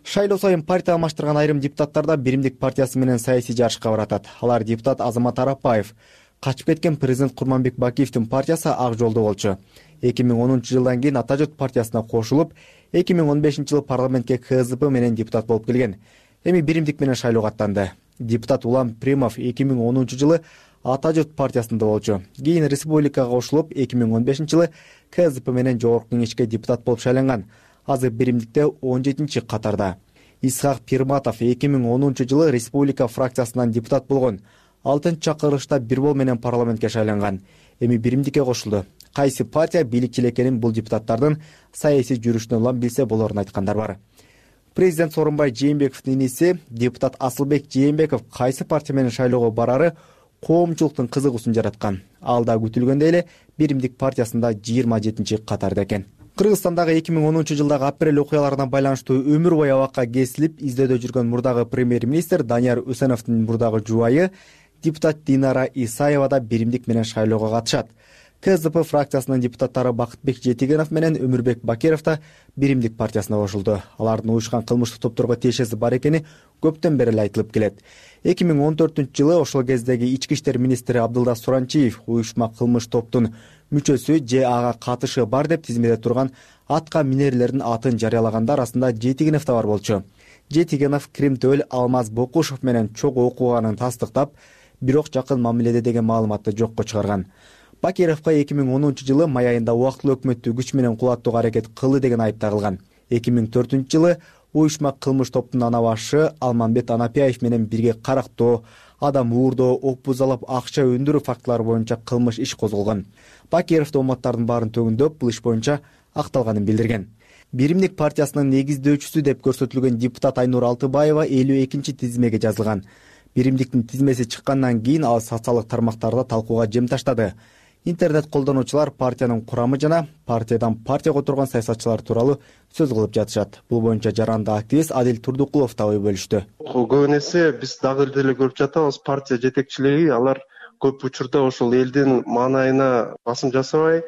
[SPEAKER 4] Шайлоо сайын партия алмаштырган айрым депутаттар да Биримдик партиясы менен саясий жарышка баратат. Алар депутат Азамат Арапбаев. Качып кеткен президент Курманбек Бакиевдин партиясы ак жолдо болчу. 2010-жылдан кийин Ата журт партиясына кошулуп, 2015-жылы парламентке КСДП менен депутат болуп келген. Эми Биримдик менен шайлоого аттанды. Депутат Улам Примов 2010-жылы Ата журт партиясында болчу. Кийин республикага кошулуп, 2015-жылы КСДП менен жогорку кеңешке депутат болуп шайланган. Азыр Биримдикте 17-чи катарда. Исхак Пирматов 2010-жылы республика фракциясынан депутат болгон. 6-чакырылышта Бирбол менен парламентке шайланган. Эми Биримдикке кошулду. Кайсы партия бийликчил экенин бул депутаттардын саясий жүрүшүнөн улам билсе болорун айткандар бар. Президент Сооронбай Жээнбековдун иниси депутат Асылбек Жээнбеков кайсы партия менен шайлоого барары коомчулуктун кызыгуусун жараткан. Ал да күтүлгөндөй эле Биримдик партиясында 27-катарда экен. Кыргызстандагы 2010 жылдагы апрель окуяларына байланыштуу өмүр бою абакка кесилип издөөдө жүргөн мурдагы премьер-министр Данияр Үсеновдун мурдагы жубайы депутат Динара Исаева да Биримдик менен шайлоого катышат. КЗП фракциясынын депутаттары Бакытбек Жетигенов менен Өмүрбек Бакиров да Биримдик партиясына кошулду. Алардын уюшкан кылмыштык топторго тиешеси бар экени көптөн бери эле айтылып келет. 2014-жылы ошол кездеги ички иштер министри Абдылда Суранчиев уюшма кылмыш топтун мүчөсү же ага катышы бар деп тизмеде турган атка минерлердин атын жарыялагандар арасында Жетигенов да бар болчу. Жетигенов Кримтөөл Алмаз Бокушев менен чогуу окуганын тастыктап, бирок жакын мамиледе деген маалыматты жокко чыгарган. Бакировго 2010 жылы май айында убактылуу өкмөттү күч менен кулаттууга аракет кылды деген айып тагылган. 2004 жылы уюшма кылмыш топтун ана башы Алмамбет Анапияев менен бирге карактоо, адам уурдоо, ок бузалап акча өндүрүү фактылары боюнча кылмыш иш козголгон. Бакиров дооматтардын баарын төгүндөп, бул иш боюнча акталганын билдирген. Биримдик партиясынын негиздөөчүсү деп көрсөтүлгөн депутат Айнур Алтыбаева 52-тизмеге жазылган. Биримдиктин тизмеси чыккандан кийин ал социалдык тармактарда талкууга жем таштады. Интернет колдонуучулар партиянын курамы жана партиядан партияга отурган саясатчылар тууралуу сөз кылып жатышат. Бул боюнча жарандык активист Адил Турдукулов да ой бөлүштү.
[SPEAKER 8] Көп эсе биз дагы деле көрүп жатабыз, партия жетекчилиги алар көп учурда ошол элдин маанайына басым жасабай,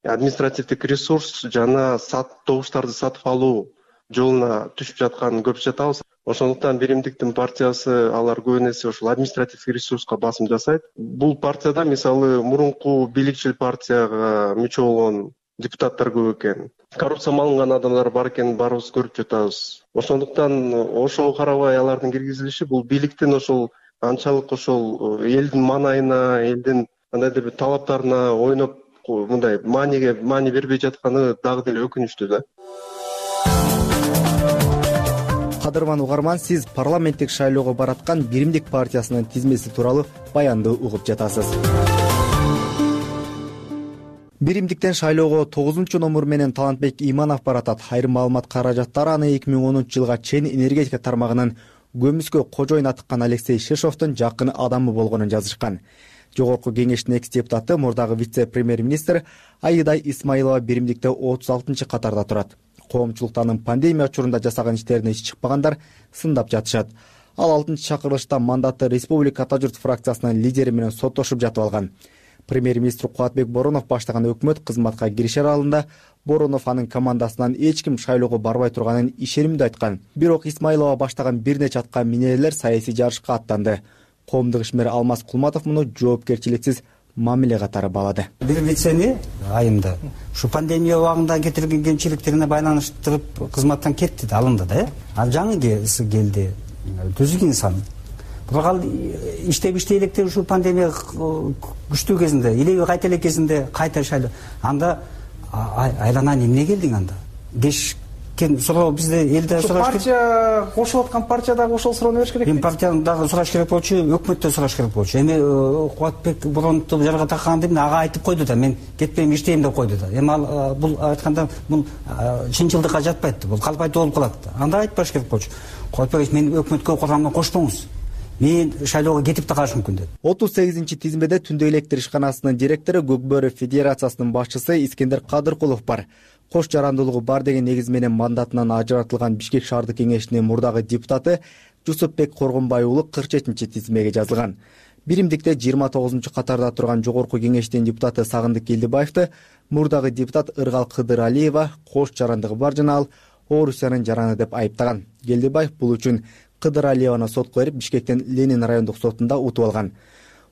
[SPEAKER 8] административдик ресурс жана добуштарды сатып алуу жолуна түшүп жатканын көрүп жатабыз. Ошондуктан Биримдиктин партиясы алар көп эсе ошол административдик ресурска басым жасайт. Бул партияда мисалы мурунку бийликчил партияга мүчө болгон депутаттар көп экен. Коррупция малынган адамдар бар экенин баарыбыз көрүп жатабыз. Ошондуктан ошого карабай алардын киргизилиши бул бийликтин ошол анчалык ошол элдин маанайына, элдин кандайдыр бир талаптарына ойноп мындай маани бербей жатканы дагы деле өкүнүчтүү да.
[SPEAKER 4] Кадырман угарман, сиз парламенттик шайлоого бараткан Биримдик партиясынын тизмеси тууралуу баянды угуп жатасыз. Биримдиктен шайлоого 9-номер менен Талантбек Иманов баратат. Айрым маалымат каражаттары аны 2010 жылга чейин энергетика тармагынын көмүскө кожоюн атыккан Алексей Шишовдун жакын адамы болгонун жазышкан. Жогорку кеңештин экс-депутаты мурдагы вице-премьер-министр Айыдай Исмаилова Биримдикте 36-катарда турат. Коомчулуктан пандемия учурунда жасаган иштерине иш чыкпагандар сындап жатышат. Ал 6-чакырылышта мандатты Республика Ата журт фракциясынын лидери менен соттошуп жатып алган. Премьер-министр Кубатбек Боронов баштаган өкмөт кызматка киришер алдында Боронов анын командасынан эч ким шайлоого барбай турганын ишенимдүү айткан. Бирок Исмаилова баштаган бир нече атка минерлер саясий жарышка аттанды. Коомдук ишмер Алмаз Кулматов муну жоопкерчиликсиз мамиле катары баалады.
[SPEAKER 9] Бир вицени айымда ушу пандемия убагында кетирген кемчиликтерине байланыштырып кызматтан кетти да, алынды да. Ал жаңы келди. Түзүк инсан. Бирок иштеп электер ушу пандемия күчтүү кезинде, илеби кайта элек кезинде кайта шайлоо. Анда айланан эмне келдиң анда? Суроо бизде элде сураш керек.
[SPEAKER 22] Партия кошулуп аткан партиядагы ошол суроону бериш керек.
[SPEAKER 9] Эми партияны дагы сураш керек болчу, өкмөттөн сураш керек болчу. Эми Кубатбек Бороновду жарга такканда ага айтып койду да, мен кетпейм, иштейм деп койду да. Эми ал бул айтканда бул чынчылдыкка жатпайт, бул калп айтуу болуп калат. Анда айтпаш керек болчу. Кубатбек, мен өкмөткө курамына кошпоңуз. Мен шайлоого кетип да калышым мүмкүн деп.
[SPEAKER 4] 38-тизмеде Түндө электр ишканасынын директору, Көкбөрү Федерациясынын башчысы Искендер Кадыркулов бар. Кош жарандуулугу бар деген негиз менен мандатынан ажыратылган Бишкек шаардык кеңешинин мурдагы депутаты Жусупбек Коргонбай уулу 47-тизмеге жазылган. Биримдикте 29-катарда турган жогорку кеңештин депутаты Сагындык Келдибаевди мурдагы депутат Ыргал Кыдыралиева кош жарандыгы бар жана ал Орусиянын жараны деп айыптаган. Келдибаев бул үчүн Кыдыралиеваны сотко берип, Бишкектин Ленин райондук сотунда утуп алган.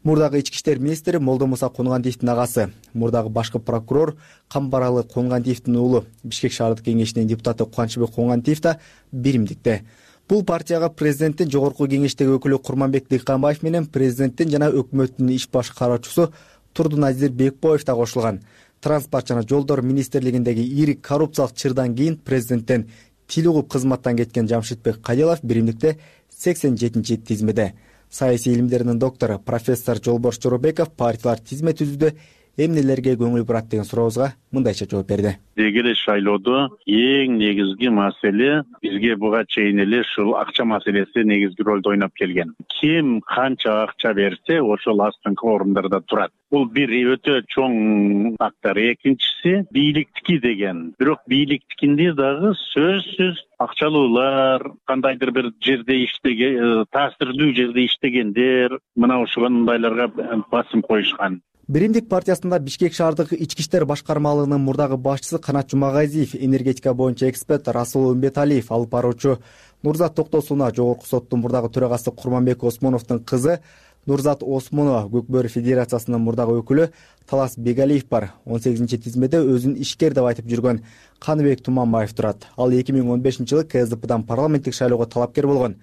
[SPEAKER 4] Мурдагы ички иштер министри Молдомуса Кунгандиевдин агасы, мурдагы башкы прокурор Камбаралы Кунгандиевдин уулу, Бишкек шаардык кеңешинин депутаты Кубанычбек Кунгандиев да Биримдикте. Бул партияга президенттин жогорку кеңештеги өкүлү Курманбек Дыйканбаев менен президенттин жана өкмөттүн иш баш кароочусу Турдуназир Бекбоев да кошулган. Транспорт жана жолдор министрлигиндеги ири коррупциялык чырдан кийин президенттен тил угуп кызматтан кеткен Жамшитбек Кадилов Биримдикте 87-тизмеде. Саясий илимдеринин доктору профессор Жолбош Жоробеков партиялар тизме түзүүдө эмнелерге көңүл бурат деген сурообузга мындайча жооп берди.
[SPEAKER 17] Деги эле шайлоодо эң негизги маселе бизге буга чейин эле ушул акча маселеси негизги ролду ойноп келген. Ким канча акча берсе, ошол астыңкы орундарда турат. Бул бир өтө чоң фактор. Экинчиси бийликтики деген. Бирок бийликтикинде дагы сөзсүз акчалуулар, кандайдыр бир жерде иштеген, таасирдүү жерде иштегендер, мына ушундайларга басым коюшкан.
[SPEAKER 4] Биримдик партиясында Бишкек шаардык ички иштер башкармалыгынын мурдагы башчысы Канат Жумагазиев, энергетика боюнча эксперт Расул Умбеталиев, алып баруучу Нурзат Токтосунова, жогорку соттун мурдагы төрагасы Курманбек Осмоновдун кызы Нурзат Осмонова, Көкбөрү Федерациясынын мурдагы өкүлү Талас Бегалиев бар. 18-тизмеде өзүн ишкер деп айтып жүргөн Каныбек Туманбаев турат. Ал 2015-жылы КСДПдан парламенттик шайлоого талапкер болгон.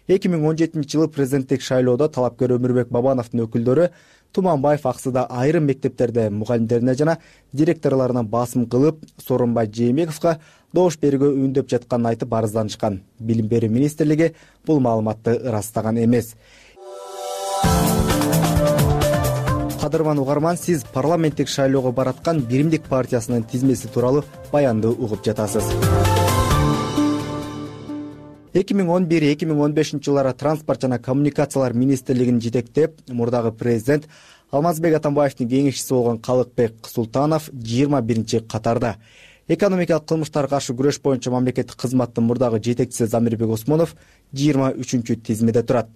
[SPEAKER 4] 2017-жылы президенттик шайлоодо талапкер Өмүрбек Бабановдун өкүлдөрү Туманбаев аксыда айрым мектептерде мугалимдерине жана директорлоруна басым кылып, Сооронбай Жээнбековго добуш берүүгө үндөп жатканын айтып арызданышкан. Билим берүү министрлиги бул маалыматты ырастаган эмес. Кадырман угарман, сиз парламенттик шайлоого бараткан Биримдик партиясынын тизмеси тууралуу баянды угуп жатасыз. 2011-2015 жылдары транспорт жана коммуникациялар министрлигин жетектеп, мурдагы президент Алмазбек Атамбаевдин кеңешчиси болгон Калыкбек Султанов 21-катарда. Экономикалык кылмыштарга каршы күрөш боюнча мамлекеттик кызматтын мурдагы жетекчиси Замирбек Осмонов 23-тизмеде турат.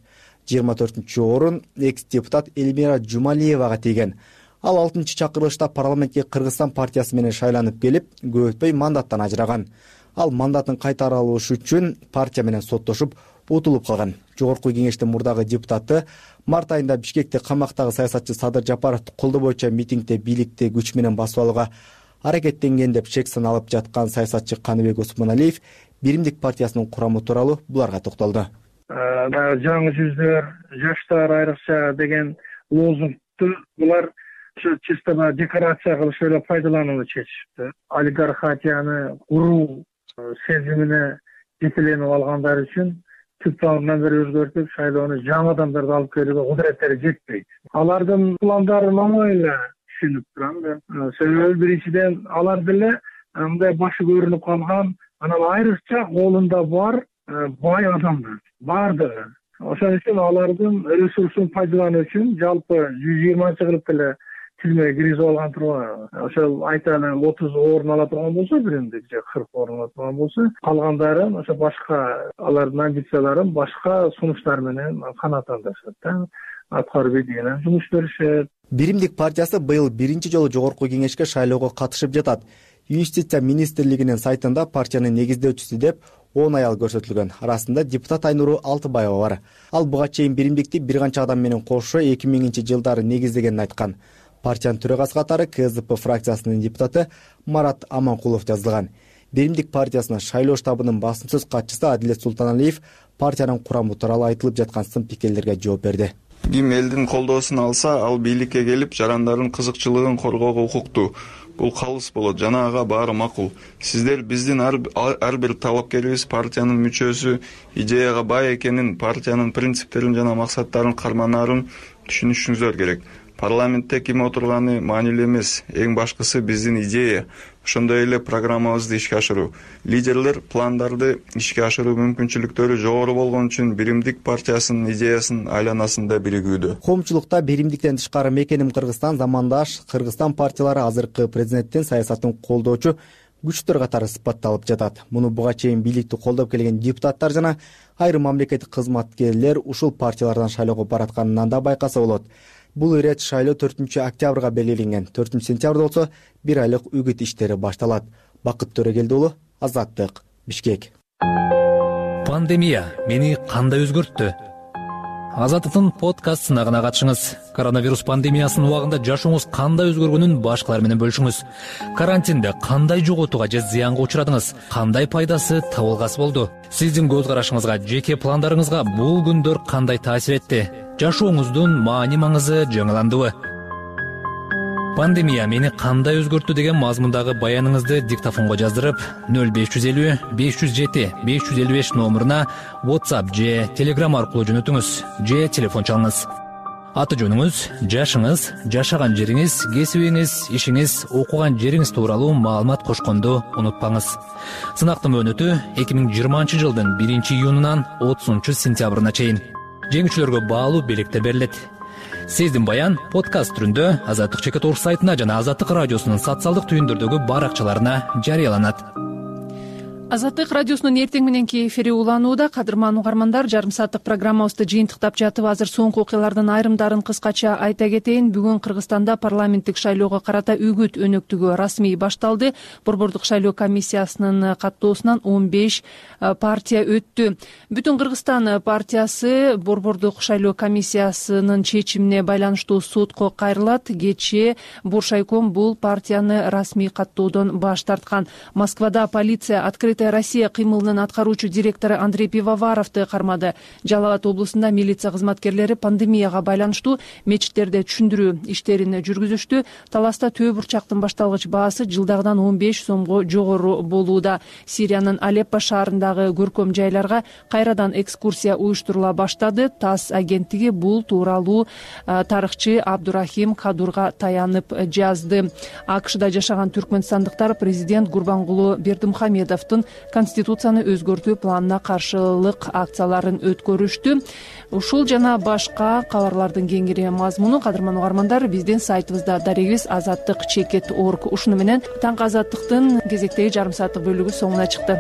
[SPEAKER 4] 24-орун экс-депутат Эльмира Жумалиевага тийген. Ал 6-чакырылышта парламентке Кыргызстан партиясы менен шайланып келип, көп өтпөй мандаттан ажыраган. Ал мандатын кайтара алыш үчүн партия менен соттошуп, утулуп калган. Жогорку кеңештин мурдагы депутаты март айында Бишкекте камактагы саясатчы Садыр Жапаровду колдоо боюнча митингде бийликти күч менен басып алууга аракеттенген деп шек саналып жаткан саясатчы Каныбек Осмоналиев Биримдик партиясынын курамы тууралуу буларга токтолду.
[SPEAKER 5] Жаңы жүздөр, жаштар айрыкча деген лозунгду булар чисто декорация кылыш эле пайдаланууну чечишти. Олигархатияны куруу сезимине жетеленип алгандар үчүн түп тамырынан бери өзгөртүп, шайлоону жаңы адамдарды алып келүүгө кудуреттери жетпейт. Алардын пландарын оңой эле түшүнүп турам мен. Себеби биринчиден алар деле мындай башы көрүнүп калган, анан айрыкча колунда бар бай адамдар бардыгы. Ошон үчүн алардын ресурсун пайдалануу үчүн жалпы 120 кылып эле тизмеге киргизип алган турган. Ошол айталы 30 орун ала турган болсо, биримдик же 40 орун ала турган болсо, калгандарын ошо башка алардын амбицияларын башка сунуштар менен канааттандырышат да. Аткаруу бедиенен жумуш беришет.
[SPEAKER 4] Биримдик партиясы быйыл биринчи жолу жогорку кеңешке шайлоого катышып жатат. Юстиция министрлигинин сайтында партиянын негиздөөчүсү деп 10 аял көрсөтүлгөн. Арасында депутат Айнуру Алтыбаева бар. Ал буга чейин Биримдикти бир канча адам менен кошо 2000-жылдары негиздегенин айткан. Партиянын төрагасы катары КСДП фракциясынын депутаты Марат Аманкулов жазылган. Биримдик партиясынын шайлоо штабынын басымсыз катчысы Адилет Султаналиев партиянын курамы тууралуу айтылып жаткан сын пикирлерге жооп берди.
[SPEAKER 10] Ким элдин колдоосун алса, ал бийликке келип, жарандардын кызыкчылыгын коргоого укуктуу. Бул калыс болот жана ага баары макул. Сиздер биздин ар бир талапкерибиз партиянын мүчөсү, идеяга бай экенин, партиянын принциптерин жана максаттарын карманаарын түшүнүшүңүздөр керек. Парламентте ким отурганы маанилүү эмес. Эң башкысы биздин идея. Ошондой эле программабызды ишке ашыруу. Лидерлер пландарды ишке ашыруу мүмкүнчүлүктөрү жогору болгон үчүн Биримдик партиясынын идеясынын айланасында биригүүдө.
[SPEAKER 4] Коомчулукта Биримдиктен тышкары мекеним Кыргызстан замандаш Кыргызстан партиялары азыркы президенттин саясатын колдоочу күчтөр катары сыпатталып жатат. Муну буга чейин бийликти колдоп келген депутаттар жана айрым мамлекеттик кызматкерлер ушул партиялардан шайлоого баратканынан да байкаса болот. Бул ирет шайлоо 4-октябрга белгиленген. 4-сентябрда болсо 1 айлык үгүт иштери башталат. Бакыт Төрөгелди уулу, Азаттык, Бишкек.
[SPEAKER 1] Пандемия мени кандай өзгөрттү? Азаттыктын подкаст сынагына катышыңыз. Коронавирус пандемиясынын убагында жашооңуз кандай өзгөргөнүн башкалар менен бөлүшүңүз. Карантинде кандай жоготууга же зыянга учурадыңыз? Кандай пайдасы, табылгасы болду? Сиздин көз карашыңызга, жеке пландарыңызга бул күндөр кандай таасир этти? Жашооңуздун маани маңызы жаңыландыбы? Пандемия мени кандай өзгөрттү деген мазмундагы баяныңызды диктофонго жаздырып 0550 507 555 номуруна WhatsApp же Telegram аркылуу жөнөтүңүз же телефон чалыңыз. аты жөнүңүз, жашыңыз, жашаган жериңиз, кесибиңиз, ишиңиз, окуган жериңиз тууралуу маалымат кошконду унутпаңыз. Сынактын мөөнөтү 2020 жылдын 1-июнунан 30-сентябрына чейин. Жеңүүчүлөргө баалуу белектер берилет. Сездин баян подкаст түрүндө Азаттык Чекит Орус сайтына жана Азаттык радиосунун социалдык түйүндөрдөгү баракчаларына жарыяланат.
[SPEAKER 2] Азаттык радиосунун эртең мененки эфири уланууда. Кадырман угармандар, жарым сааттык программабызды жыйынтыктап жатып, азыр соңку окуялардын айрымдарын кыскача айта кетейин. Бүгүн Кыргызстанда парламенттик шайлоого карата үгүт өнөктүгү расмий башталды. Борбордук шайлоо комиссиясынын каттоосунан 15 партия өттү. Бүтүн Кыргызстан партиясы Борбордук шайлоо комиссиясынын чечимине байланыштуу сотко кайрылат. Кечээ Буршайком бул партияны расмий каттоодон баш тарткан. Москвада полиция Открытая Россия кыймылынын аткаруучу директору Андрей Пивоваровду кармады. Жалал Абад облусунда милиция кызматкерлери пандемияга байланыштуу мечиттерде түшүндүрүү иштерин жүргүзүштү. Таласта төө бурчактын башталгыч баасы жылдагыдан 15 сомго жогору болууда. Сириянын Алеппо шаарындагы көркөм жайларга кайрадан экскурсия уюштурула баштады. ТАСС агенттиги бул тууралуу тарыхчы Абдурахим Кадурга таянып жазды. АКШда жашаган түркмөнстандыктар президент Гурбангулы Бердимухамедовдун Конституцияны өзгөртүү планына каршылык акцияларын өткөрүштү. Ушул жана башка кабарлардын кеңири мазмуну кадырман угармандар биздин сайтыбызда дарегибиз azattik.org. Ушуну менен таңкы азаттыктын кезектеги жарым сааттык бөлүгү соңуна чыкты.